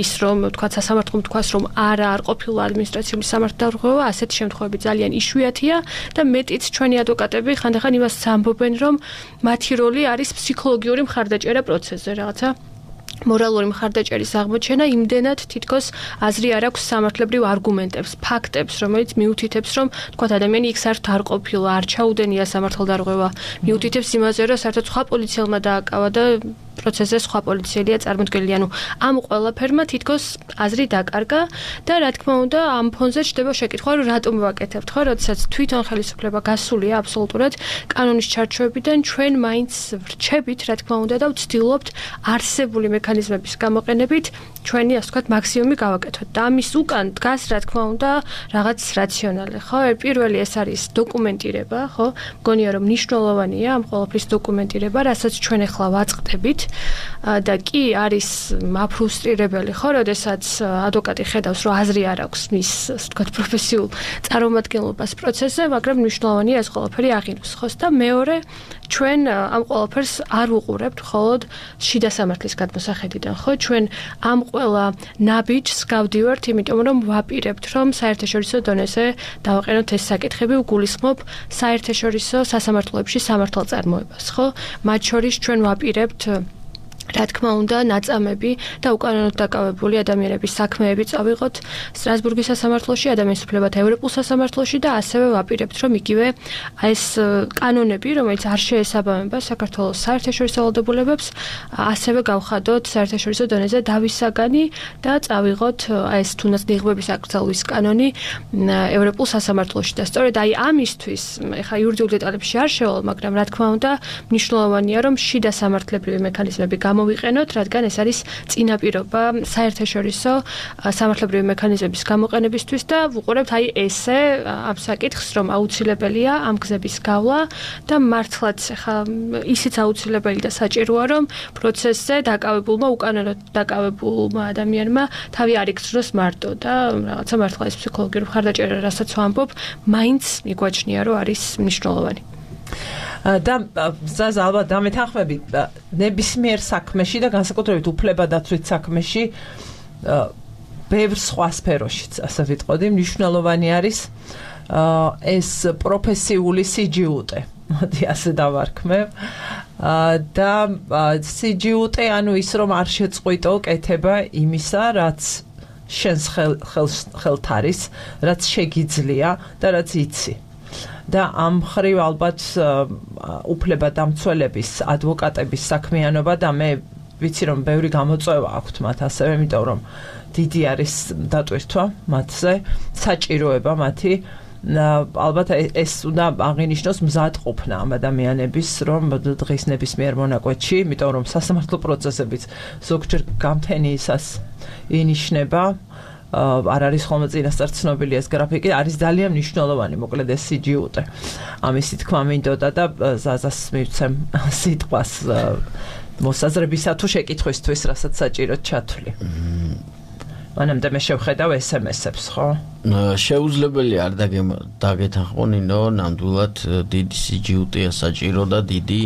ის რომ თქვა სასამართლომ თქვას რომ არა არ ყოფილა ადმინისტრაციული სამართალდამცველობა, ასეთი შემთხვევები ძალიან იშვიათია და მეტიც ჩვენი ადვოკატები ხანდახან იმას ამბობენ, რომ მათი როლი არის ფსიქოლოგიური მხარდაჭერა პროცესზე, რაღაცა მორალური მხარდაჭერის აღმოჩენა, იმდენად თითქოს აზრი არ აქვს სამართლებრივ არგუმენტებს, ფაქტებს, რომელიც მიუთითებს, რომ თქვა ადამიანი იქ საერთოდ არ ყოფილა, არ ჩაუდენია სამართალდარღვევა, მიუთითებს იმაზე, რომ საერთოდ სხვა პოლიციელმა დააკავა და პროცესზე სხვა პოლიციელია წარმოდგენილი, ანუ ამ ყველაფერმა თითქოს აზრი დაკარგა და რა თქმა უნდა ამ ფონზე ჩდება შეკითხვა, რომ რატომ ვაკეთებთ, ხო, როდესაც თვითონ ხელისუფლება გასულია აბსოლუტურად კანონის ჩარჩოებიდან, ჩვენ მაინც ვრჩებით, რა თქმა უნდა და ვცდილობთ არსებული მექანიზმების გამოყენებით ჩვენი, ასე ვთქვათ, მაქსიმუმი გავაკეთოთ. და ამის უკან დგას, რა თქმა უნდა, რაღაც რაციონალი, ხო? პირველი ეს არის დოკუმენტირება, ხო? მგონია რომ მნიშვნელოვანია ამ ყველაფრის დოკუმენტირება, რასაც ჩვენ ახლა ვაწყდებით. და კი არის მაფრუსტრირებელი, ხო, როდესაც ადვოკატი ხედავს, რომ აზრი არ აქვს მის, ასე ვთქვათ, პროფესიულ წარმომადგენლობას პროცესზე, მაგრამ მნიშვნელოვანია ეს ყველაფერი აღინოს, ხო? და მეორე, ჩვენ ამ ყველაფერს არ ვუყურებთ მხოლოდ შიდა სამართლის გადმოსახედიდან, ხო? ჩვენ ამ ყველა ნაბიჯს გავდივართ, იმიტომ რომ ვაპირებთ, რომ საერთაშორისო დონეზე დავაყენოთ ეს საკითხები, ვგულისხმობ საერთაშორისო სასამართლოებში სამართალწარმოებას, ხო? მათ შორის ჩვენ ვაპირებთ რა თქმა უნდა, ნაწამები და უკანონოდ დაკავებული ადამიანების საქმეები წავიღოთ სტრასბურგის სასამართლოში, ადამიანის უფლებათა ევროპულ სასამართლოში და ასევე ვაპირებთ, რომ იგივე ეს კანონები, რომელიც არ შეესაბამება საქართველოს საერთაშორისო ვალდებულებებს, ასევე გავხადოთ საერთაშორისო დონეზე დავისაგანი და წავიღოთ ეს თუნდაც ნიღბების აკრძალვის კანონი ევროპულ სასამართლოში და სწორედ აი ამისთვის, ეხლა იურიდიულ დეტალებში არ შევალ, მაგრამ რა თქმა უნდა, მნიშვნელოვანია, რომ შიდა სამართლებრივი მექანიზმები გამოვიყენოთ, რადგან ეს არის წინაპირობა საერთაშორისო სამართლებრივი მექანიზმების გამოყენებისთვის და ვუყურებთ აი ესე ამ საკითხს, რომ აუცილებელია ამ გზების გავლა და მართლაც ხა ისიც აუცილებელი და საჭიროა, რომ პროცესზე დაკავებულმა უკანონოდ დაკავებულმა ადამიანმა თავი არ იგრძნოს მარტო და რაღაცა მართლა ეს ფსიქოლოგიური მხარდაჭერა, რასაც ვამბობ, მაინც მიგვაჩნია, რომ არის მნიშვნელოვანი. და ზაზა ალბათ დამეთანხმები ნებისმიერ საქმეში და განსაკუთრებით უფლებადაცვით საქმეში ბევრ სხვა სფეროშიც, ასე ვიტყოდი, მნიშვნელოვანი არის ეს პროფესიული სიჯიუტე. მოდი ასე დავარქმევ. და სიჯიუტე, ანუ ის რომ არ შეწყვიტო კეთება იმისა, რაც შენს ხელთ არის, რაც შეგიძლია და რაც იცი. და ამ ხრივ ალბათ უფლებადამცველების, ადვოკატების საქმიანობა და მე ვიცი რომ ბევრი გამოწვევა აქვთ მათ ასევე, იმიტომ რომ დიდი არის დატვირთვა მათზე, საჭიროება მათი. ალბათ ეს უნდა აღინიშნოს მზადყოფნა ამ ადამიანების, რომ დღის ნებისმიერ მონაკვეთში, იმიტომ რომ სასამართლო პროცესებიც ზოგჯერ გამთენიისას ინიშნება, არ არის ხოლმე წინასწარ ცნობილი ეს გრაფიკი, არის ძალიან მნიშვნელოვანი, მოკლედ ეს სიჯიუტე. ამისი თქმა მინდოდა და ზაზას მივცემ სიტყვას მოსაზრებისა თუ შეკითხვისთვის, რასაც საჭიროდ ჩათვლი. მანამდე მე შევხედავ ეს ემ ესებს, ხო? შეუძლებელი არ დაგეთანხმონინო, ნამდვილად დიდი სიჯიუტეა საჭირო და დიდი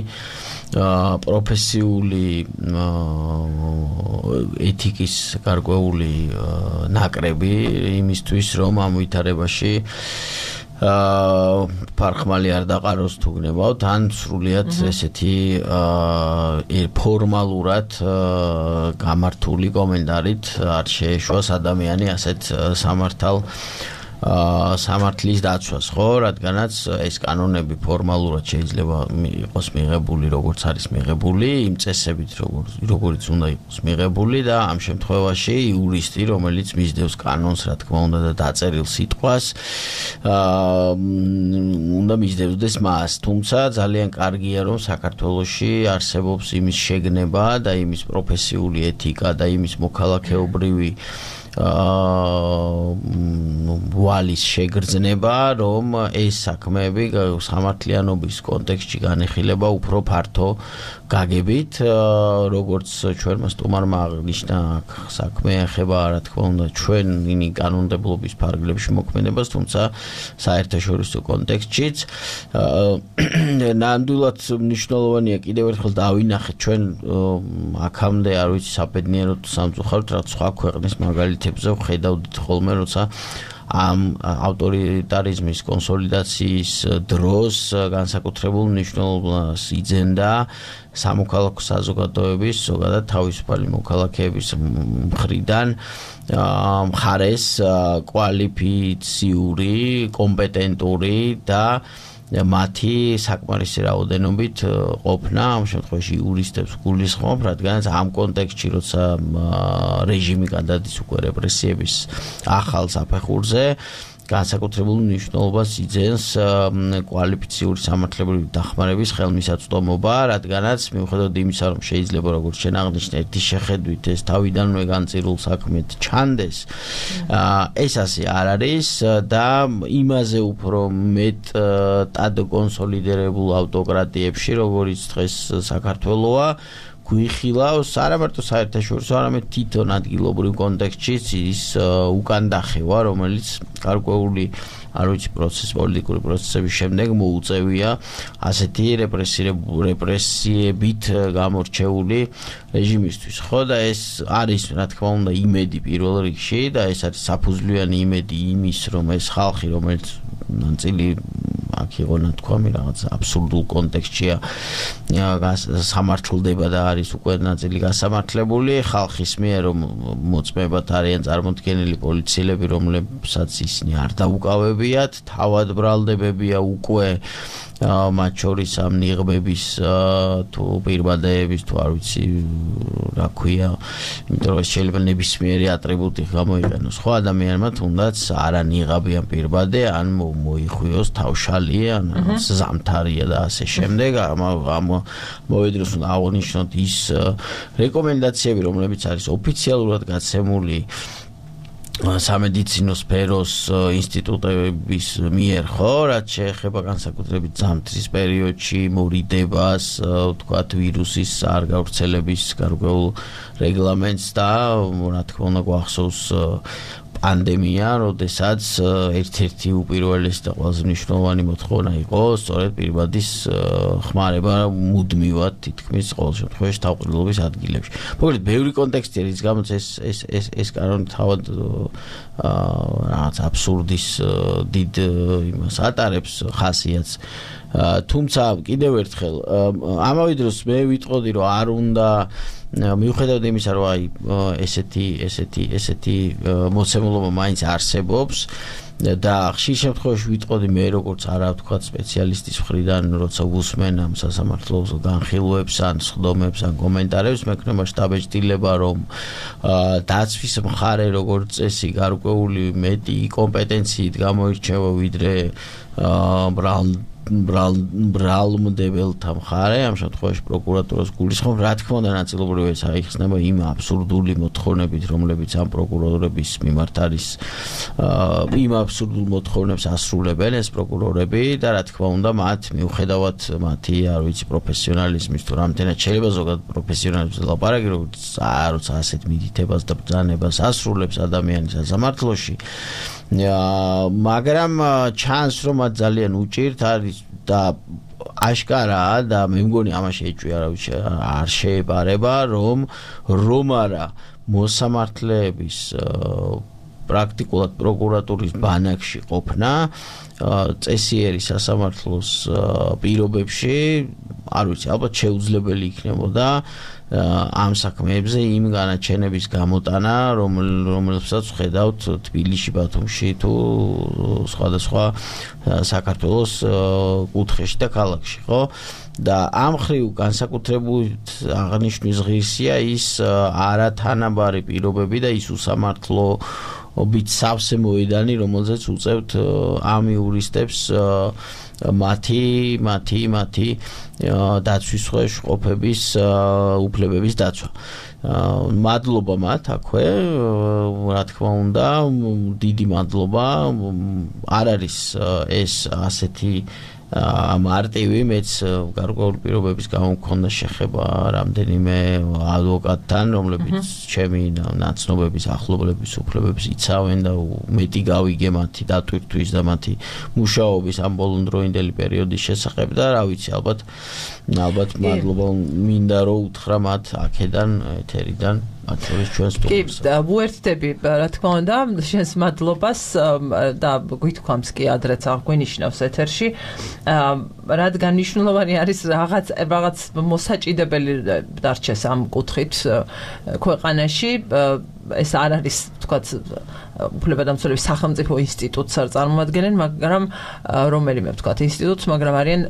პროფესიული ეთიკის გარკვეული ნაკრები იმისთვის, რომ ამ ვითარებაში ფარხმალი არ დაყაროს თუ გნებავთ, ან სრულიად ესეთი ფორმალურად გამართული კომენტარით არ შეეშვას ადამიანი ასეთ სამართალ სამართლის დაცვას, ხო, რადგანაც ეს კანონები ფორმალურად შეიძლება იყოს მიღებული, როგორც არის მიღებული, იმ წესებით, როგორც უნდა იყოს მიღებული და ამ შემთხვევაში იურისტი, რომელიც მისდევს კანონს, რა თქმა უნდა და დაწერილ სიტყვას, უნდა მისდევდეს მას. თუმცა ძალიან კარგია, რომ საქართველოში არსებობს იმის შეგნება და იმის პროფესიული ეთიკა და იმის მოქალაქეობრივი ვალის შეგრძნება, რომ ეს საქმეები სამართლიანობის კონტექსტში განეხილება უფრო ფართო გაგებით, როგორც ჩვენმა სტუმარმა აღნიშნა, საქმე ეხება, რა თქმა უნდა, ჩვენი კანონმდებლობის ფარგლებში მოქმედებას, თუმცა საერთაშორისო კონტექსტშიც ნამდვილად მნიშვნელოვანია კიდევ ერთხელ დავინახეთ ჩვენ აქამდე, არ ვიცი, საბედნიეროდ სამწუხაროდ, რაც სხვა ქვეყნის მაგალითებზე ვხედავდით ხოლმე, როცა ამ ავტორიტარიზმის კონსოლიდაციის დროს განსაკუთრებულ მნიშვნელობას იძენდა სამოქალაქო საზოგადოების, ზოგადად თავისუფალი მოქალაქეების მხრიდან მხარეს კვალიფიციური, კომპეტენტური და მათი საკმარისი რაოდენობით ყოფნა, ამ შემთხვევაში იურისტებს გულისხმობ, რადგანაც ამ კონტექსტში, როცა რეჟიმი გადადის უკვე რეპრესიების ახალ საფეხურზე, განსაკუთრებულ მნიშვნელობას იძენს კვალიფიციური სამართლებრივი დახმარების ხელმისაწვდომობა, რადგანაც მიუხედავად იმისა, რომ შეიძლება როგორც შენ აღნიშნე, ერთი შეხედვით ეს თავიდანვე განწირულ საქმედ ჩანდეს, ეს ასე არ არის და იმაზე უფრო მეტად კონსოლიდირებულ ავტოკრატიებში, როგორც დღეს საქართველოა, გვიხილავს არა მარტო საერთაშორისო, არამედ თვითონ ადგილობრივ კონტექსტშიც ის უკან დახევა, რომელიც გარკვეული არ ვიცი პროცეს, პოლიტიკური პროცესების შემდეგ მოუწევია ასეთი რეპრესიებით გამორჩეული რეჟიმისთვის. ხო და ეს არის, რა თქმა უნდა, იმედი პირველ რიგში და ეს არის საფუძვლიანი იმედი იმის, რომ ეს ხალხი, რომელიც ნაწილი აქ იყო ნათქვამი რაღაც აბსურდულ კონტექსტშია სამართლდება და არის უკვე ნაწილი გასამართლებული ხალხის მიერ, რომ მოწმებათ არიან წარმოდგენილი პოლიციელები, რომლებსაც ისინი არ დაუკავებიათ, თავად ბრალდებებია უკვე მათ შორის ამ ნიღბების თუ პირბადეების თუ არ ვიცი რა ქვია, იმიტომ რომ შეიძლება ნებისმიერი ატრიბუტი გამოიყენოს ხო ადამიანმა, თუნდაც არა ნიღაბიან პირბადე, ან მოიხვიოს თავშალი, ან ზამთარია და ასე შემდეგ. ამ მოვედროს უნდა აღნიშნოთ ის რეკომენდაციები, რომლებიც არის ოფიციალურად გაცემული სამედიცინო სფეროს ინსტიტუტების მიერ, ხო, რაც შეეხება განსაკუთრებით ზამთრის პერიოდში მორიდებას, ვთქვათ, ვირუსის არ გავრცელების გარკვეულ რეგლამენტს და რა თქმა უნდა გვახსოვს პანდემია, როდესაც ერთ-ერთი უპირველესი და ყველაზე მნიშვნელოვანი მოთხოვნა იყო სწორედ პირბადის ხმარება მუდმივად თითქმის ყოველ შემთხვევაში თავყრილობის ადგილებში. მოკლედ, ბევრი კონტექსტია, რის გამოც ეს ეს ეს ეს კანონი თავად რაღაც აბსურდის დიდ იმას ატარებს ხასიათს. თუმცა კიდევ ერთხელ ამავე დროს მე ვიტყოდი, რომ არ უნდა მიუხედავად იმისა, რომ აი ესეთი ესეთი ესეთი მოცემულობა მაინც არსებობს და ხშირ შემთხვევაში ვიტყოდი მე როგორც არა ვთქვათ სპეციალისტის მხრიდან, როცა ვუსმენ ამ სასამართლოს განხილვებს ან სხდომებს ან კომენტარებს, მექნება შტაბეჭდილება, რომ დაცვის მხარე როგორც წესი გარკვეული მეტი კომპეტენციით გამოირჩევა ვიდრე ბრალ ბრალმდებელთა მხარე, ამ შემთხვევაში პროკურატურას გულისხმობ, რა თქმა უნდა ნაწილობრივ ეს აიხსნება იმ აბსურდული მოთხოვნებით, რომლებიც ამ პროკურორების მიმართ არის, იმ აბსურდულ მოთხოვნებს ასრულებენ ეს პროკურორები და რა თქმა უნდა მათ მიუხედავად მათი, არ ვიცი, პროფესიონალიზმის თუ რამდენად შეიძლება ზოგადად პროფესიონალიზმზე ლაპარაკი, როცა ასეთ მიდითებას და ბრძანებას ასრულებს ადამიანი სასამართლოში, მაგრამ ჩანს, რომ მათ ძალიან უჭირთ არის და აშკარაა და მე მგონი ამაში ეჭვი არ შეეპარება, რომ რომ არა მოსამართლეების პრაქტიკულად პროკურატურის ბანაკში ყოფნა წესიერი სასამართლოს პირობებში, არ ვიცი, ალბათ შეუძლებელი იქნებოდა ამ საქმეებზე იმ განაჩენების გამოტანა, რომელსაც ვხედავთ თბილისში, ბათუმში თუ სხვადასხვა საქართველოს კუთხეში და ქალაქში, ხო? და ამ ხრივ განსაკუთრებით აღნიშნვის ღირსია ის არათანაბარი პირობები და ის უსამართლო ობით სავსე მოედანი, რომელზეც უწევთ ამ იურისტებს მათი მათი მათი დაცვის ქვეშ ყოფების უფლებების დაცვა. მადლობა მათ აქვე, რა თქმა უნდა, დიდი მადლობა. არ არის ეს ასეთი მარტივი, მეც გარკვეული პირობების გამო მქონდა შეხება რამდენიმე ადვოკატთან, რომლებიც ჩემი ნაცნობების ახლობლების უფლებებს იცავენ და მეტი გავიგე მათი დატვირთვის და მათი მუშაობის ამ ბოლონდროინდელი პერიოდის შესახებ და რა ვიცი, ალბათ ალბათ მადლობა მინდა რომ უთხრა მათ აქედან ეთერიდან ათონის ჩვენს სტუდიას. კი, ვუერთდები, რა თქმა უნდა, შენს მადლობას და გვითქვამს კი ადრეც აღვნიშნავს ეთერში, რადგან მნიშვნელოვანი არის რაღაც რაღაც მოსაჭიდებელი დარჩეს ამ კუთხით ქვეყანაში, ეს არ არის, თქვათ, უფლებადამცველების სახელმწიფო ინსტიტუტს არ წარმოადგენენ, მაგრამ რომელიმე, თქვათ, ინსტიტუტს, მაგრამ არიან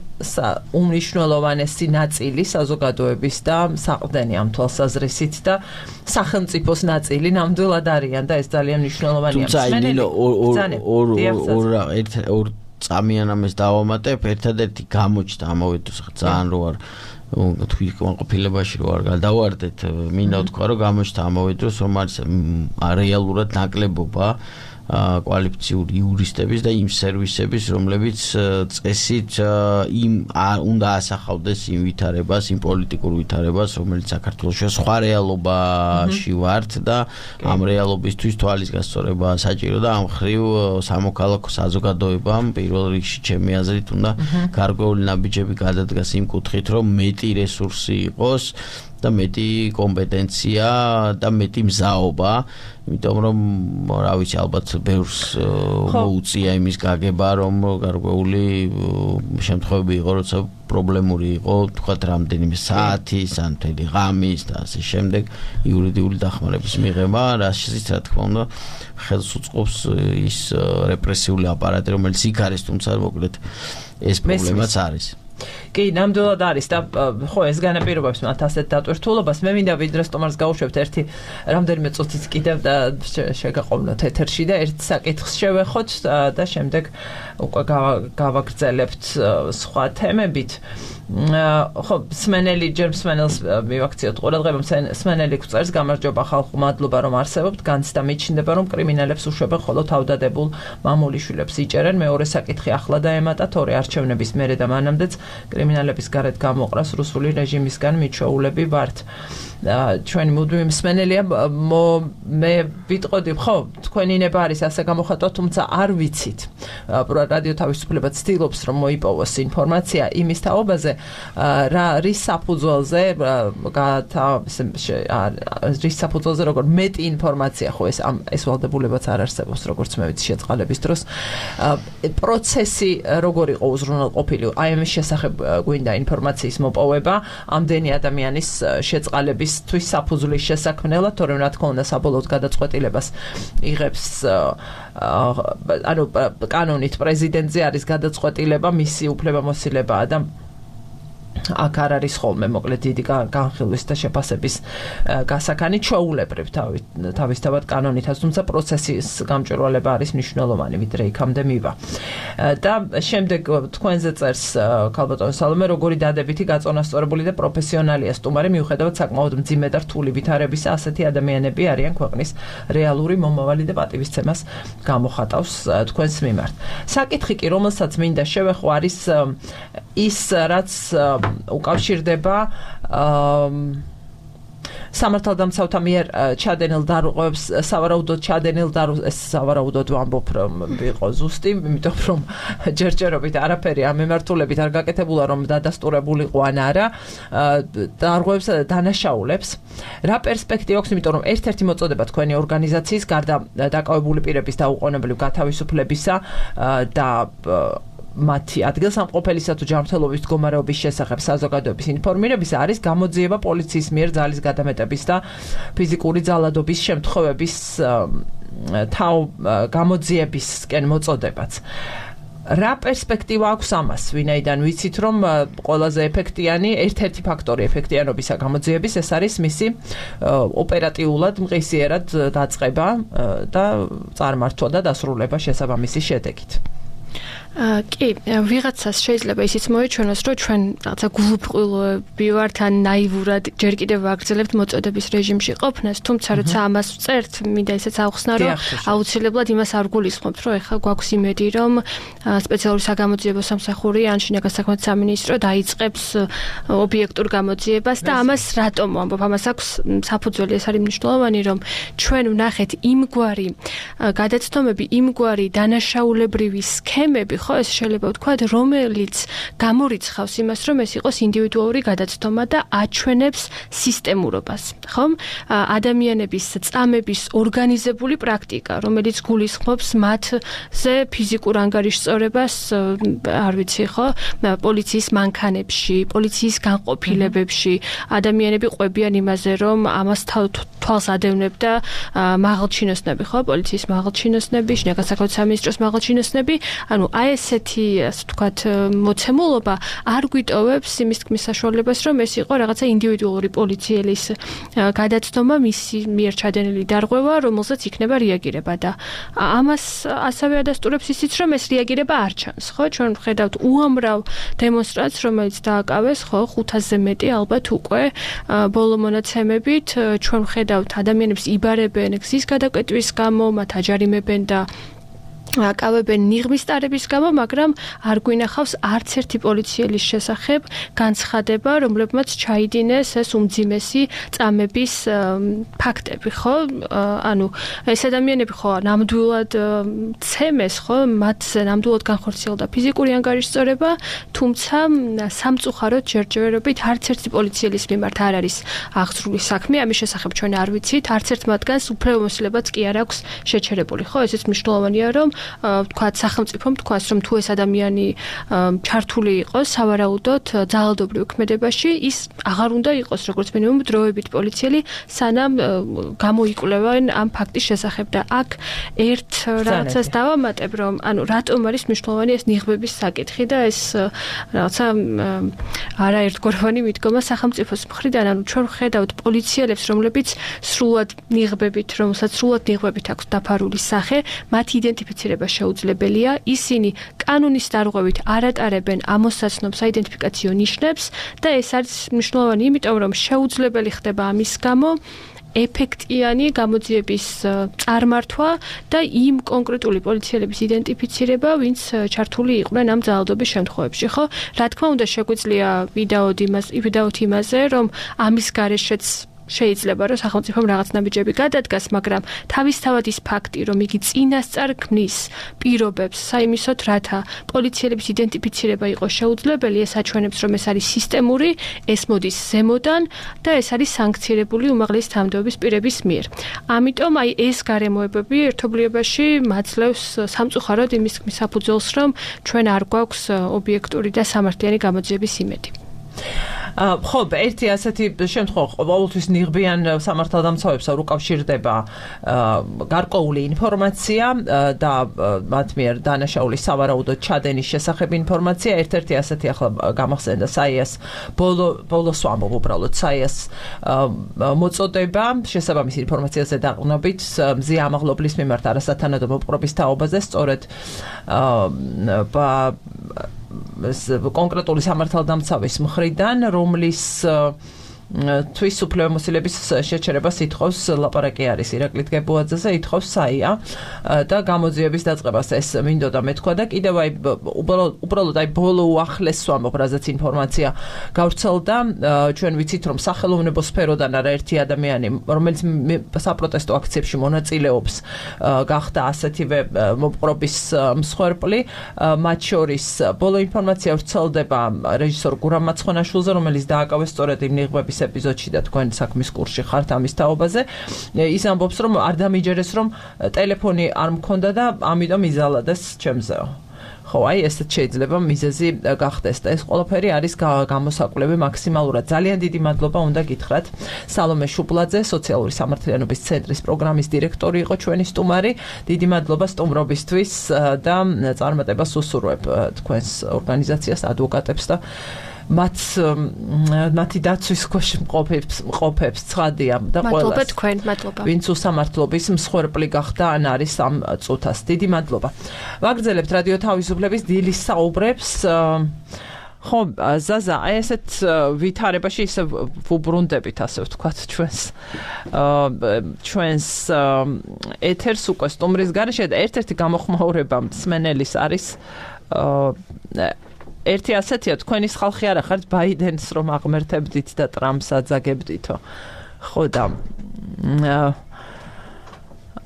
უმნიშვნელოვანესი ნაწილი საზოგადოების და საყრდენი ამ თვალსაზრისით და სახელმწიფოს ნაწილი ნამდვილად არიან და ეს ძალიან მნიშვნელოვანია. თუმცა ნინო ორ ორ ორ წამიან ამას დავამატებ, ერთადერთი გამოჩნდა ამავე დროს ძალიან რო არ თქვი კონყოფილებაში რო არ გადავარდეთ, მინდა ვთქვა, რომ გამოჩნდა ამავე დროს, რომ არის რეალურად ნაკლებობა კვალიფიციური იურისტების და იმ სერვისების, რომლებიც წესით იმ უნდა ასახავდეს იმ ვითარებას, იმ პოლიტიკურ ვითარებას, რომელიც საქართველოში სხვა რეალობაში ვართ და ამ რეალობისთვის თვალის გასწორება საჭირო და ამ ხრივ სამოქალაქო საზოგადოებამ პირველ რიგში ჩემი აზრით უნდა გარკვეული ნაბიჯები გადადგას იმ კუთხით, რომ მეტი რესურსი იყოს და მეტი კომპეტენცია და მეტი მზაობა, იმიტომ რომ რა ვიცი, ალბათ ბევრს მოუწია იმის გაგება, რომ გარკვეული შემთხვევები იყო, როცა პრობლემური იყო, თქვათ, რამდენიმე საათის ან მთელი ღამის და ასე შემდეგ იურიდიული დახმარების მიღება, რასაც რა თქმა უნდა ხელს უწყობს ის რეპრესიული აპარატი, რომელიც იქ არის, თუმცა მოკლედ ეს პრობლემაც არის. კი, ნამდვილად არის და ხო, ეს განაპირობებს მათ ასეთ დატვირთულობას. მე მინდა ვიდრე სტომარს გავუშვებთ ერთი რამდენიმე წუთიც კიდევ და შეგაყოვნოთ ეთერში და ერთ საკითხს შევეხოთ და შემდეგ უკვე გავაგრძელებთ სხვა თემებით. ხო, სმენელი ჯერ სმენელს მივაქციოთ ყურადღება, სმენელი გვწერს, გამარჯობა ხალხო, მადლობა რომ არსებობთ, განცდა მიჩნდება, რომ კრიმინალებს უშვებენ ხოლო თავდადებულ მამულიშვილებს იჭერენ. მეორე საკითხი ახლა დაემატა, თორე არჩევნების მერე და მანამდეც კრიმინალების გარეთ გამოყრას რუსული რეჟიმისგან მიჩვეულები ვართ. ჩვენი მუდმივი მსმენელია, მე ვიტყოდი, ხო, თქვენი ნება არის ასე გამოხატვა, თუმცა არ ვიცით. რადიო თავისუფლება ცდილობს რომ მოიპოვოს ინფორმაცია იმის თაობაზე, რა რის საფუძველზე რის საფუძველზე როგორ მეტი ინფორმაცია ხო ეს ამ ეს ვალდებულებაც არ არსებობს, როგორც მე ვიცი შეწყალების დროს. პროცესი როგორ იყო უზრუნველყოფილი, აი ამის შესახებ გვინდა ინფორმაციის მოპოვება ამდენი ადამიანის შეწყალებისთვის საფუძვლის შესაქმნელად, თორემ რა თქმა უნდა საბოლოოდ გადაწყვეტილებას იღებს ანუ კანონით პრეზიდენტზე არის გადაწყვეტილება, მისი უფლებამოსილებაა და აქ არ არის ხოლმე მოკლედ დიდი განხილვის და შეფასების გასაქანი ჩვეულებრივ თავისთავად კანონითაც, თუმცა პროცესის გამჭვირვალება არის მნიშვნელოვანი, ვიდრე იქამდე მივა. და შემდეგ თქვენზე წერს ქალბატონო სალომე, როგორი დადებითი გაწონასწორებული და პროფესიონალია სტუმარი, მიუხედავად საკმაოდ მძიმე და რთული ვითარებისა, ასეთი ადამიანები არიან ქვეყნის რეალური მომავალი და პატივისცემას გამოხატავს თქვენს მიმართ. საკითხი კი, რომელსაც მინდა შევეხო, არის ის, რაც უკავშირდება სამართალდამცავთა მიერ ჩადენილ დარღვევებს, სავარაუდოდ ჩადენილ დარღვევებს, სავარაუდოდ ვამბობ რომ იყო ზუსტი, იმიტომ რომ ჯერჯერობით არაფერი ამ მიმართულებით არ გაკეთებულა, რომ დადასტურებულიყო ან არა, დარღვევებს და დანაშაულებს. რა პერსპექტივა აქვს, იმიტომ რომ ერთ-ერთი მოწოდება თქვენი ორგანიზაციის გარდა დაკავებული პირების დაუყოვნებლივ გათავისუფლებისა და მათი ადგილსამყოფელისა თუ ჯანმრთელობის მდგომარეობის შესახებ საზოგადოების ინფორმირებისა არის გამოძიება პოლიციის მიერ ძალის გადამეტების და ფიზიკური ძალადობის შემთხვევების თავ გამოძიებისკენ მოწოდებაც. რა პერსპექტივა აქვს ამას, ვინაიდან ვიცით რომ ყველაზე ეფექტიანი, ერთ-ერთი ფაქტორი ეფექტიანობისა გამოძიების ეს არის მისი ოპერატიულად მყისიერად დაწყება და წარმართვა და დასრულება შესაბამისი შედეგით. კი, ვიღაცას შეიძლება ისიც მოეჩვენოს, რომ ჩვენ რაღაცა გულუბრყვილოები ვართ ან ნაივურად ჯერ კიდევ ვაგრძელებთ მოწოდების რეჟიმში ყოფნას, თუმცა როცა ამას ვწერთ, მინდა ისიც ავხსნა, რომ აუცილებლად იმას არ გულისხმობთ, რომ ეხლა გვაქვს იმედი, რომ სპეციალური საგამოძიებო სამსახური ან შინაგან საქმეთა სამინისტრო დაიწყებს ობიექტურ გამოძიებას და ამას რატომ ვამბობ? ამას აქვს საფუძველი, ეს არის მნიშვნელოვანი, რომ ჩვენ ვნახეთ იმგვარი გადაცდომები, იმგვარი დანაშაულებრივი სქემები, ხო, ეს შეიძლება ვთქვათ, რომელიც გამორიცხავს იმას, რომ ეს იყოს ინდივიდუალური გადაცდომა და აჩვენებს სისტემურობას, ხო? ადამიანების წამების ორგანიზებული პრაქტიკა, რომელიც გულისხმობს მათზე ფიზიკურ ანგარიშწორებას, არ ვიცი, ხო, პოლიციის მანქანებში, პოლიციის განყოფილებებში, ადამიანები ყვებიან იმაზე, რომ ამას თვალს ადევნებდა მაღალჩინოსნები, ხო, პოლიციის მაღალჩინოსნები, შინაგან საქმეთა სამინისტროს მაღალჩინოსნები, ანუ აი ესეთი, ასე ვთქვათ, მოცემულობა არ გვიტოვებს იმის თქმის საშუალებას, რომ ეს იყო რაღაცა ინდივიდუალური პოლიციელის გადაცდომა, მისი მიერ ჩადენილი დარღვევა, რომელზეც იქნება რეაგირება და ამას ასევე ადასტურებს ისიც, რომ ეს რეაგირება არ ჩანს, ხო? ჩვენ ვხედავთ უამრავ დემონსტრაციას, რომელიც დააკავეს, ხო, ხუთასზე მეტი ალბათ უკვე ბოლო მონაცემებით, ჩვენ ვხედავთ ადამიანებს იბარებენ გზის გადაკვეტვის გამო, მათ აჯარიმებენ და აკავებენ ნიღბის ტარების გამო, მაგრამ არ გვინახავს არც ერთი პოლიციელის შესახებ განცხადება, რომლებმაც ჩაიდინეს ეს უმძიმესი წამების ფაქტები, ხო? ანუ ეს ადამიანები ხო ნამდვილად ცემეს, ხო, მათზე ნამდვილად განხორციელდა ფიზიკური ანგარიშწორება, თუმცა სამწუხაროდ ჯერჯერობით არც ერთი პოლიციელის მიმართ არ არის აღძრული საქმე, ამის შესახებ ჩვენ არ ვიცით, არც ერთ მათგანს უფლებამოსილებაც კი არ აქვს შეჩერებული, ხო? ესეც მნიშვნელოვანია, რომ ვთქვათ, სახელმწიფომ თქვას, რომ თუ ეს ადამიანი ჩართული იყოს სავარაუდოდ ძალადობრივ ქმედებაში, ის აღარ უნდა იყოს, როგორც მინიმუმ დროებით პოლიციელი, სანამ გამოიკვლევენ ამ ფაქტის შესახებ და აქ ერთ რაღაცას დავამატებ, რომ ანუ რატომ არის მნიშვნელოვანი ეს ნიღბების საკითხი და ეს რაღაცა არაერთგვაროვანი მიდგომა სახელმწიფოს მხრიდან, ანუ ჩვენ ვხედავთ პოლიციელებს, რომლებიც სრულად ნიღბებით, რომელსაც სრულად ნიღბებით აქვს დაფარული სახე, მათი იდენტიფიცირება შეუძლებელია, ისინი კანონის დარღვევით არ ატარებენ ამოსაცნობ საიდენტიფიკაციო ნიშნებს და ეს არის მნიშვნელოვანი, იმიტომ რომ შეუძლებელი ხდება ამის გამო ეფექტიანი გამოძიების წარმართვა და იმ კონკრეტული პოლიციელების იდენტიფიცირება, ვინც ჩართული იყვნენ ამ ძალადობის შემთხვევებში, ხო? რა თქმა უნდა, შეგვიძლია ვიდაოდ იმას, ვიდაოდ იმაზე, რომ ამის გარეშეც შეიძლება რომ სახელმწიფომ რაღაც ნაბიჯები გადადგას, მაგრამ თავისთავად ის ფაქტი, რომ იგი წინასწარ ქმნის პირობებს საიმისოდ, რათა პოლიციელების იდენტიფიცირება იყოს შეუძლებელი, ეს აჩვენებს, რომ ეს არის სისტემური, ეს მოდის ზემოდან და ეს არის სანქცირებული უმაღლესი თანამდებობის პირების მიერ. ამიტომ აი ეს გარემოებები ერთობლიობაში მაძლევს სამწუხაროდ იმის თქმის საფუძველს, რომ ჩვენ არ გვაქვს ობიექტური და სამართლიანი გამოძიების იმედი. ხო, ერთი ასეთი შემთხვევა ყოველთვის ნიღბიან სამართალდამცავებს უკავშირდება გარკვეული ინფორმაცია და მათ მიერ დანაშაულის სავარაუდოდ ჩადენის შესახებ ინფორმაცია. ერთ-ერთი ასეთი ახლა გამახსენდა საიას ბოლო ბოლოს ვამბობ უბრალოდ საიას მოწოდება შესაბამის ინფორმაციაზე დაყრდნობით მზია ამაღლობლის მიმართ არასათანადო მოპყრობის თაობაზე სწორედ კონკრეტული სამართალდამცავის მხრიდან, რომლის თვის უფლებამოსილების შეჩერებას ითხოვს ლაპარაკი არის ირაკლი გებუაძეზე, ითხოვს საია და გამოძიების დაწყებას ეს მინდოდა მეთქვა და კიდევ აი უბრალოდ აი ბოლო უახლეს ვამბობ, რაზეც ინფორმაცია გავრცელდა, ჩვენ ვიცით რომ სახელოვნებო სფეროდან არაერთი ადამიანი, რომელიც საპროტესტო აქციებში მონაწილეობს, გახდა ასეთივე მოპყრობის მსხვერპლი, მათ შორის ბოლო ინფორმაცია ვრცელდება რეჟისორ გურამ მაცხონაშვილზე, რომელიც დააკავეს სწორედ იმ ნიღბების ეპიზოდში და თქვენ საქმის კურსში ხართ ამის თაობაზე. ის ამბობს, რომ არ დამიჯერეს, რომ ტელეფონი არ მქონდა და ამიტომ იზალადეს ჩემზეო. ხო, აი ესეც შეიძლება მიზეზი გახდეს და ეს ყველაფერი არის გამოსაკვლევი მაქსიმალურად. ძალიან დიდი მადლობა უნდა გითხრათ სალომე შუბლაძე, სოციალური სამართლიანობის ცენტრის პროგრამის დირექტორი იყო ჩვენი სტუმარი. დიდი მადლობა სტუმრობისთვის და წარმატებას უსურვებ თქვენს ორგანიზაციას, ადვოკატებს და მათ მათი დაცვის ქვეშ მყოფებს მყოფებს ცხადია და ყველას. მადლობა თქვენ, მადლობა. ვინც უსამართლობის მსხვერპლი გახდა ან არის ამ წუთას. დიდი მადლობა. ვაგრძელებთ რადიო თავისუფლების დილის საუბრებს. ხო, ზაზა, აი ესეთ ვითარებაში ისე ვუბრუნდებით, ასე ვთქვათ, ჩვენს ჩვენს ეთერს უკვე სტუმრის გარეშე და ერთ-ერთი გამოხმაურება მსმენელის არის ერთი ასეთია, თქვენის ხალხი არა ხართ ბაიდენს რომ აღმერთებდით და ტრამპს აძაგებდითო. ხო და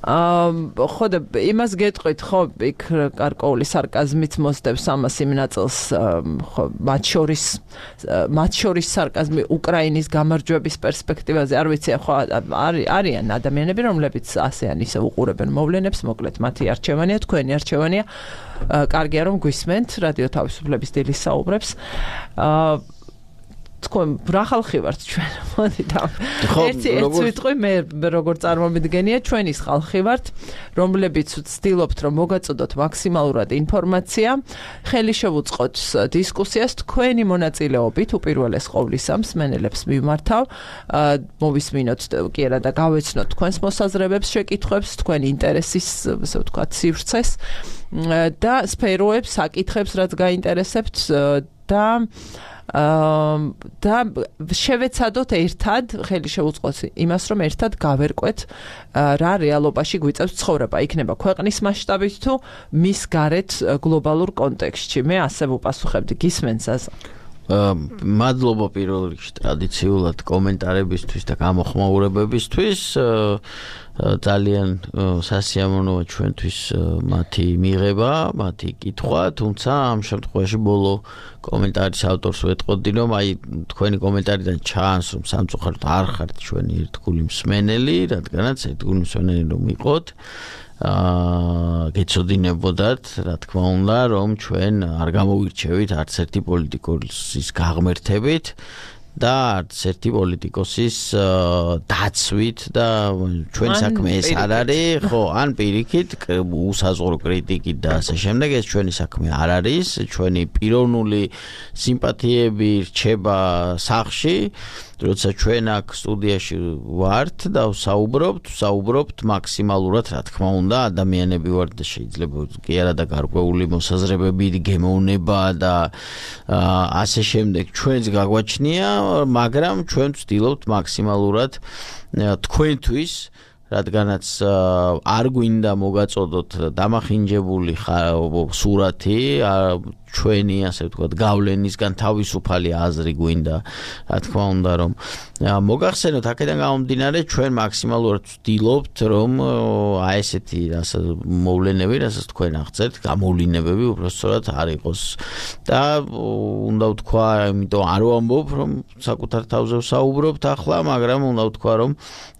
აა ხო და იმას გეტყვით, ხო, იქ გარკვეული სარკაზმით მოსდევს ამას იმ ნაწილს, ხო, მათ შორის მათ შორის სარკაზმი უკრაინის გამარჯვების პერსპექტივაზე, არ ვიცი, ხო, არიან ადამიანები, რომლებიც ასეან ისე უყურებენ მოვლენებს, მოკლედ მათი არჩევანია, თქვენი არჩევანია. კარგია რომ გვისმენთ რადიო თავისუფლების დილის საუბრებს. აა თქვენ რა ხალხი ვართ ჩვენ? მოდი და ერთი ერთი ვიტყვი მე როგორ წარმომიდგენია, ჩვენის ხალხი ვართ, რომლებიც ვცდილობთ რომ მოგაწოდოთ მაქსიმალურად ინფორმაცია, ხელი შევუწყოთ დისკუსიას, თქვენი მონაწილეობით უპირველეს ყოვლისა მსმენელებს მიმართავ, მოვისმინოთ კი არა და გავეცნოთ თქვენს მოსაზრებებს, შეკითხვებს, თქვენი ინტერესის, ასე ვთქვათ, სივრცეს და სფეროებს, საკითხებს, რაც გაინტერესებთ და და შევეცადოთ ერთად, ხელი შევუწყოთ იმას, რომ ერთად გავერკვეთ რა რეალობაში გვიწევს ცხოვრება, იქნება ქვეყნის მასშტაბით თუ მის გარეთ გლობალურ კონტექსტში. მე ასე ვუპასუხებდი, გისმენთ ზაზა? მადლობა პირველ რიგში ტრადიციულად კომენტარებისთვის და გამოხმაურებებისთვის. ძალიან სასიამოვნოა ჩვენთვის მათი მიღება, მათი კითხვა, თუმცა ამ შემთხვევაში ბოლო კომენტარის ავტორს ვეტყოდი, რომ აი თქვენი კომენტარიდან ჩანს, რომ სამწუხაროდ არ ხართ ჩვენი ერთგული მსმენელი, რადგანაც ერთგული მსმენელი რომ იყოთ, აა გეცოდინებოდათ, რა თქმა უნდა, რომ ჩვენ არ გამოვირჩევით არც ერთი პოლიტიკოსის გაღმერთებით და არც ერთი პოლიტიკოსის დაცვით და ჩვენ საქმე ეს არ არის, ხო, ან პირიქით უსაზღვრო კრიტიკით და ასე შემდეგ, ეს ჩვენი საქმე არ არის, ჩვენი პიროვნული სიმპათიები რჩება სახში, როცა ჩვენ აქ სტუდიაში ვართ და ვსაუბრობთ, ვსაუბრობთ მაქსიმალურად, რა თქმა უნდა, ადამიანები ვართ და შეიძლება კი არა და გარკვეული მოსაზრებები, გემოვნება და ასე შემდეგ ჩვენს გაგვაჩნია, მაგრამ ჩვენ ვცდილობთ მაქსიმალურად თქვენთვის რადგანაც არ გვინდა მოგაწოდოთ დამახინჯებული სურათი ჩვენი ასე ვთქვათ გავლენისგან თავისუფალი აზრი გვინდა რა თქმა უნდა რომ მოგახსენოთ აქედან გამომდინარე ჩვენ მაქსიმალურად ვცდილობთ რომ აი ესეთი მოვლენები რასაც თქვენ აღწერთ გამოვლენებები უბრალოდ არ იყოს და უნდა ვთქვა იმიტომ არ ვამბობ რომ საკუთარ თავზე ვსაუბრობთ ახლა მაგრამ უნდა ვთქვა რომ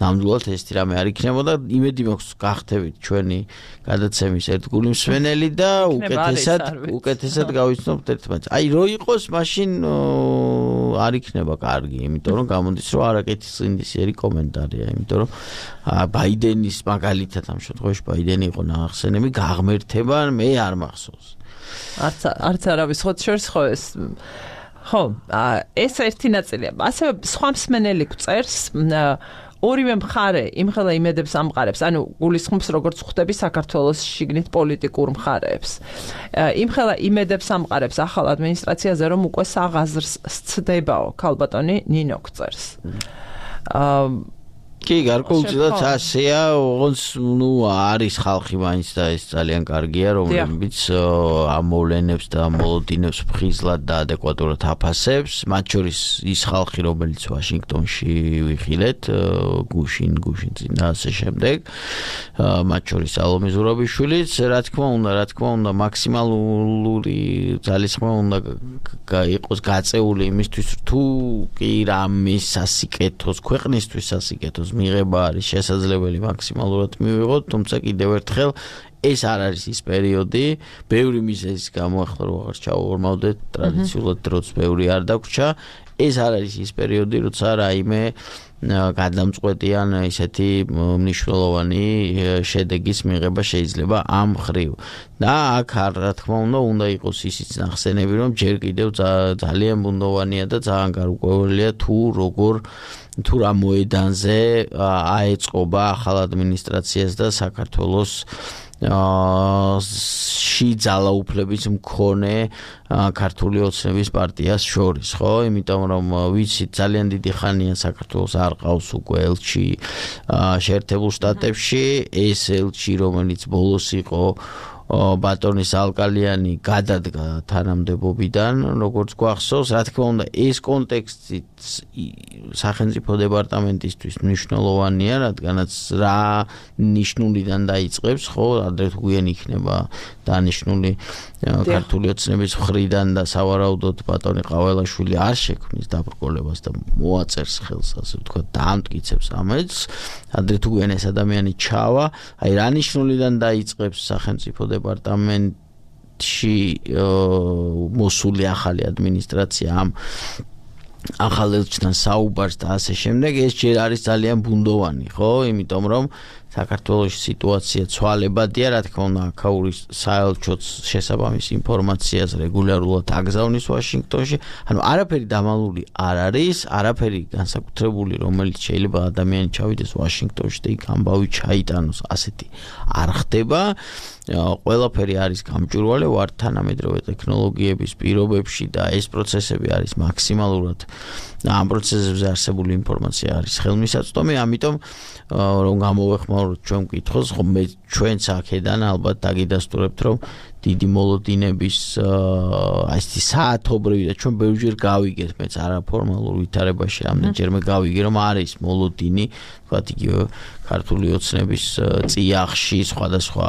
ნამდვილად ესეთი რამე არ იქნებოდა იმედი მაქვს გახდებით ჩვენი გადაცემის ერთგული მსმენელი და უკეთესად უკეთესად გავიცნობთ ერთმანეთს. აი რო იყოს მაშინ არ იქნება კარგი, იმიტომ რომ გამოდის რომ არაკეთის ინდისიერი კომენტარია, იმიტომ რომ ბაიდენის მაგალითად ამ შემთხვევაში ბაიდენი იყო ნახსენები გაღმერთება მე არ მახსოვს. არც არც არავის ხოთ შორს ხო ეს ხო ეს ერთი ნაწილია. ასევე სხვა მსმენელი გვწერს ორივე მხარე იმხელა იმედებს ამყარებს, ანუ გულისხმობს როგორც ხვდები საქართველოს შიგნით პოლიტიკურ მხარეებს. იმხელა იმედებს ამყარებს ახალ ადმინისტრაციაზე, რომ უკვე საღაზრს სცდებაო, ქალბატონი ნინო გწერს. კი, გარკვეულწილად ასეა, ოღონდ ნუ არის ხალხი მაინც და ეს ძალიან კარგია, რომლებიც ამ მოვლენებს და მოლოდინებს ფხიზლად და ადეკვატურად აფასებს, მათ შორის ის ხალხი, რომელიც ვაშინგტონში ვიხილეთ, გუშინ, გუშინ და ასე შემდეგ, მათ შორის ალომე ზურაბიშვილიც, რა თქმა უნდა, რა თქმა უნდა, მაქსიმალური ძალისხმევა უნდა იყოს გაწეული იმისთვის, თუ კი რამის სასიკეთოს, ქვეყნისთვის სასიკეთოს მიღება არის შესაძლებელი მაქსიმალურად მივიღოთ, თუმცა კიდევ ერთხელ ეს არ არის ის პერიოდი, ბევრი მიზეზის გამო ახლა რო აღარ ჩავორმავდეთ, ტრადიციულად დროც ბევრი არ დაგვრჩა, ეს არ არის ის პერიოდი, როცა რაიმე გადამწყვეტიან ისეთი მნიშვნელოვანი შედეგის მიღება შეიძლება ამ ხრივ. და აქ რა თქმა უნდა, უნდა იყოს ისიც ნახსენები, რომ ჯერ კიდევ ძალიან ბუნდოვანია და ძალიან გარკვეულია თუ როგორ თუ რა მოედანზე აეწყობა ახალ ადმინისტრაციას და საქართველოს ში ძალაუფლების მქონე ქართული ოცნების პარტიას შორის, ხო? იმიტომ რომ ვიცით ძალიან დიდი ხანია საქართველოს არ ყავს უკვე ელჩი შეერთებულ შტატებში, ეს ელჩი რომელიც ბოლოს იყო ბატონის ალკალიანი გადადგა თანამდებობიდან, როგორც გვახსოვს, რა თქმა უნდა, ეს კონტექსტი სახელმწიფო დეპარტამენტისთვის მნიშვნელოვანია, რადგანაც რა ნიშნულიდან დაიწყებს, ხო, ადრე თუ გვიან იქნება დანიშნული ქართული ოცნების მხრიდან და სავარაუდოდ ბატონი ყაველაშვილი არ შექმნის დაბრკოლებას და მოაწერს ხელს, ასე ვთქვათ, დაამტკიცებს ამეთს, ადრე თუ გვიან ეს ადამიანი ჩავა, აი რა ნიშნულიდან დაიწყებს სახელმწიფო დეპარტამენტში მოსული ახალი ადმინისტრაცია ამ ახალ ელჩთან საუბარს და ასე შემდეგ, ეს ჯერ არის ძალიან ბუნდოვანი, ხო? იმიტომ რომ საქართველოს სიტუაცია ცვალებადია, რა თქმა უნდა, აქაური საელჩოც შესაბამის ინფორმაციას რეგულარულად აგზავნის ვაშინგტონში, ანუ არაფერი დამალული არ არის, არაფერი განსაკუთრებული, რომელიც შეიძლება ადამიანი ჩავიდეს ვაშინგტონში და იქ ამბავი ჩაიტანოს, ასეთი არ ხდება. ყველაფერი არის გამჭვირვალე ვარ თანამედროვე ტექნოლოგიების პირობებში და ეს პროცესები არის მაქსიმალურად ამ პროცესებზე არსებული ინფორმაცია არის ხელმისაწვდომი, ამიტომ რომ გამოვეხმაუროთ ჩვენ მკითხოს, ხო მე ჩვენც აქედან ალბათ დაგიდასტურებთ, რომ დიდი მოლოდინების აი ეს საათობრივი და ჩვენ ბევრჯერ გავიგეთ, მეც არაფორმალურ ვითარებაში რამდენჯერმე გავიგე, რომ არის მოლოდინი, თქვათ იგივე ქართული ოცნების წიაღში, სხვადასხვა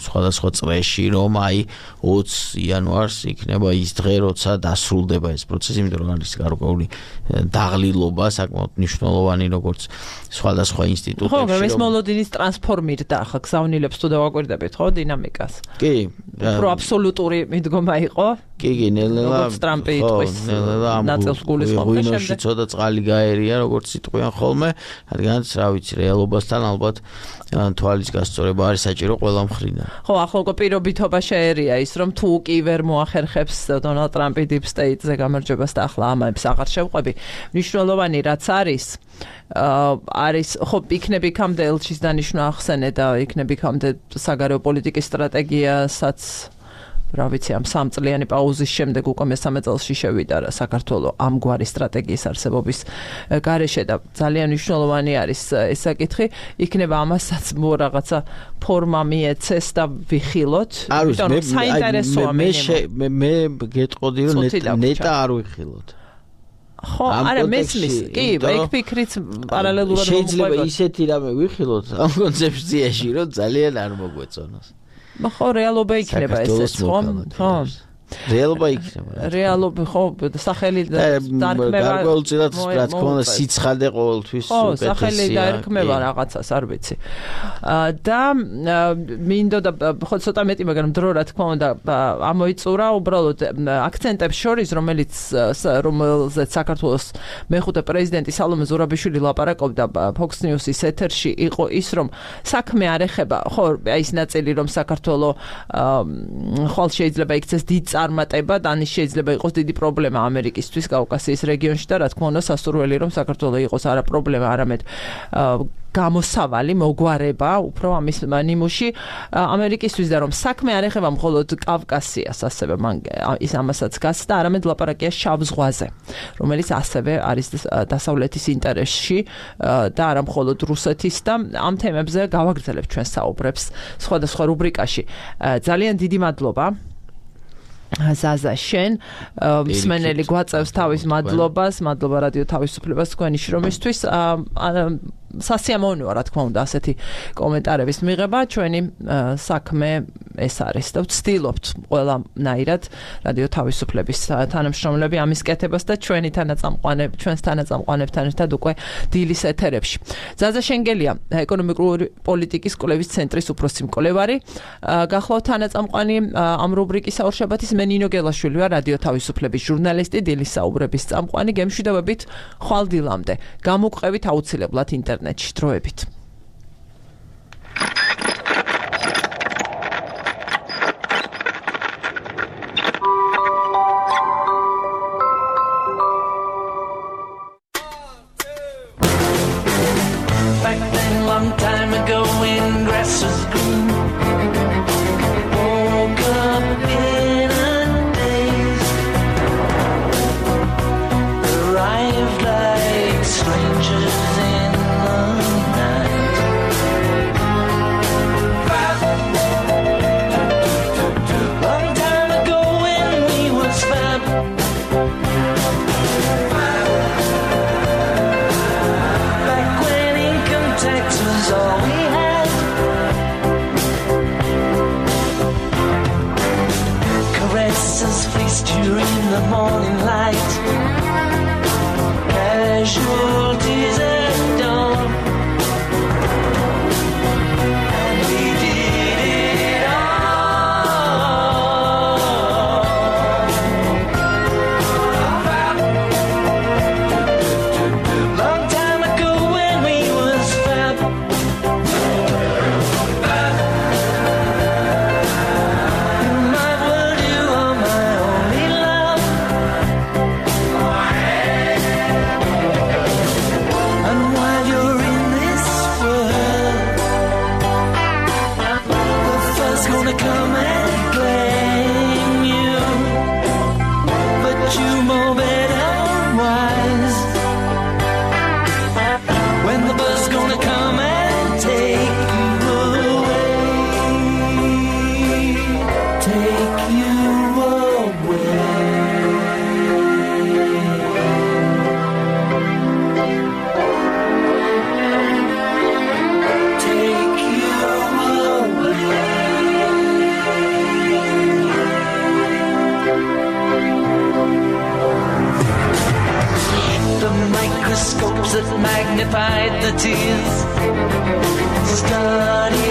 სხვადასხვა წრეში, რომ აი ოცი იანვარს იქნება ის დღე, როცა დასრულდება ეს პროცესი, იმიტომ რომ არის გარკვეული დაღლილობა, საკმაოდ მნიშვნელოვანი, როგორც სხვადასხვა ინსტიტუტებში. ხო, მაგრამ ეს მოლოდინის ტრანსფორმირდა ახლა გზავნილებს თუ დავაკვირდებით, ხო, დინამიკას. კი, უფრო აბსოლუტური მიდგომა იყო. კი, კი, ნელ-ნელა როგორც ტრამპი იტყვის ნაწილს გულისხმობს და შემდეგ ცოტა წყალი გაერია, როგორც იტყვიან ხოლმე, რადგანაც რა ვიცი, რეალობასთან ალბათ თვალის გასწორება არის საჭირო ყველა მხრიდან. ხო, ახლა უკვე პირობითობა შეერია ის, რომ თუ კი ვერ მოახერხებს დონალდ ტრამპი დიპ სტეიტზე გამარჯვებას და ახლა ამებს აღარ შევყვები, მნიშვნელოვანი რაც არის, არის ხო იქნები იქამდე ელჩის დანიშვნა ახსენე და იქნები იქამდე საგარეო პოლიტიკის სტრატეგიასაც რა ვიცი ამ სამწლიანი პაუზის შემდეგ უკვე მესამე წელში შევიდა რა საქართველოს ამგვარი სტრატეგიის არსებობის გარეშე და ძალიან მნიშვნელოვანი არის ეს საკითხი იქნება ამასაც მო რაღაცა ფორმა მიეცეს და ვიხილოთ იმიტომ რომ საინტერესოა მე მე მე გეტყოდი რომ ნეტა არ ვიხილოთ ხო არა მესმის კი ეგ ფიქრიც პარალელურად შეიძლება ისეთი რამე ვიხილოთ ამ კონცეფციაში რომ ძალიან არ მოგვეწონოს ხო რეალობა იქნება ესეც ხო ხო რეალობა იქნება რეალობა ხო სახელი დარქმევა გარკვეულწილად რა თქმა უნდა სიცხადე ყოველთვის უკეთესია ხო სახელი დარქმევა რაღაცას არ ვიცი და მინდოდა ხო ცოტა მეტი მაგრამ დრო რა თქმა უნდა ამოიწურა უბრალოდ აქცენტებს შორის რომელიც რომელზეც საქართველოს მეხუთე პრეზიდენტი სალომე ზურაბიშვილი ლაპარაკობდა Fox News-ის ეთერში იყო ის რომ საქმე არ ეხება ხო აი ის ნაწილი რომ საქართველოს ხვალ შეიძლება იქცეს დიდ წარმატება და ანის შეიძლება იყოს დიდი პრობლემა ამერიკისთვის კავკასიის რეგიონში და რა თქმა უნდა სასურველი რომ საქართველოს იყოს არა პრობლემა არამედ გამოსავალი მოგვარება უფრო ამის ნიმუში ამერიკისთვის და რომ საქმე არ ეხება მხოლოდ კავკასიას ასევე მან ის ამასაც გასცდა არამედ ლაპარაკია შავ ზღვაზე რომელიც ასევე არის დასავლეთის ინტერესში და არა მხოლოდ რუსეთის და ამ თემებზე გავაგრძელებთ ჩვენ საუბრებს სხვადასხვა რუბრიკაში ძალიან დიდი მადლობა ზაზა შენ მსმენელი გვაწევს თავის მადლობას მადლობა რადიო თავისუფლებას თქვენი შრომისთვის სასიამოვნოა რა თქმა უნდა ასეთი კომენტარების მიღება ჩვენი საქმე ეს არის და ვცდილობთ ყველანაირად რადიო თავისუფლების თანამშრომლები ამის კეთებას და ჩვენი თანაწამყვანები ჩვენს თანაწამყვანებთან ერთად უკვე დილის ეთერებში ზაზა შენგელია ეკონომიკური პოლიტიკის კვლევის ცენტრის უფროსი მკვლევარი გახლავთ თანაწამყვანი ამ რუბრიკის საურშაბათის მე ნინო გელაშვილი ვარ რადიო თავისუფლების ჟურნალისტი დილის საუბრების წამყვანი გემშვიდობებით ხვალ დილამდე გამოგყევით აუცილებლად ინტერნეტში დროებით Back then long time ago when grass was green woke up in a daze arrived like strangers in the night long time ago when we was fab back when income tax was all we had caresses fleeced you in the morning light casualties at dawn and we did it all long time ago when we was fab in my world you are my only love and while you're in this world the first gonna come and claim you but you know better wise when the bus gonna come and take you away take you away take you away the microscopes that magnified the tears study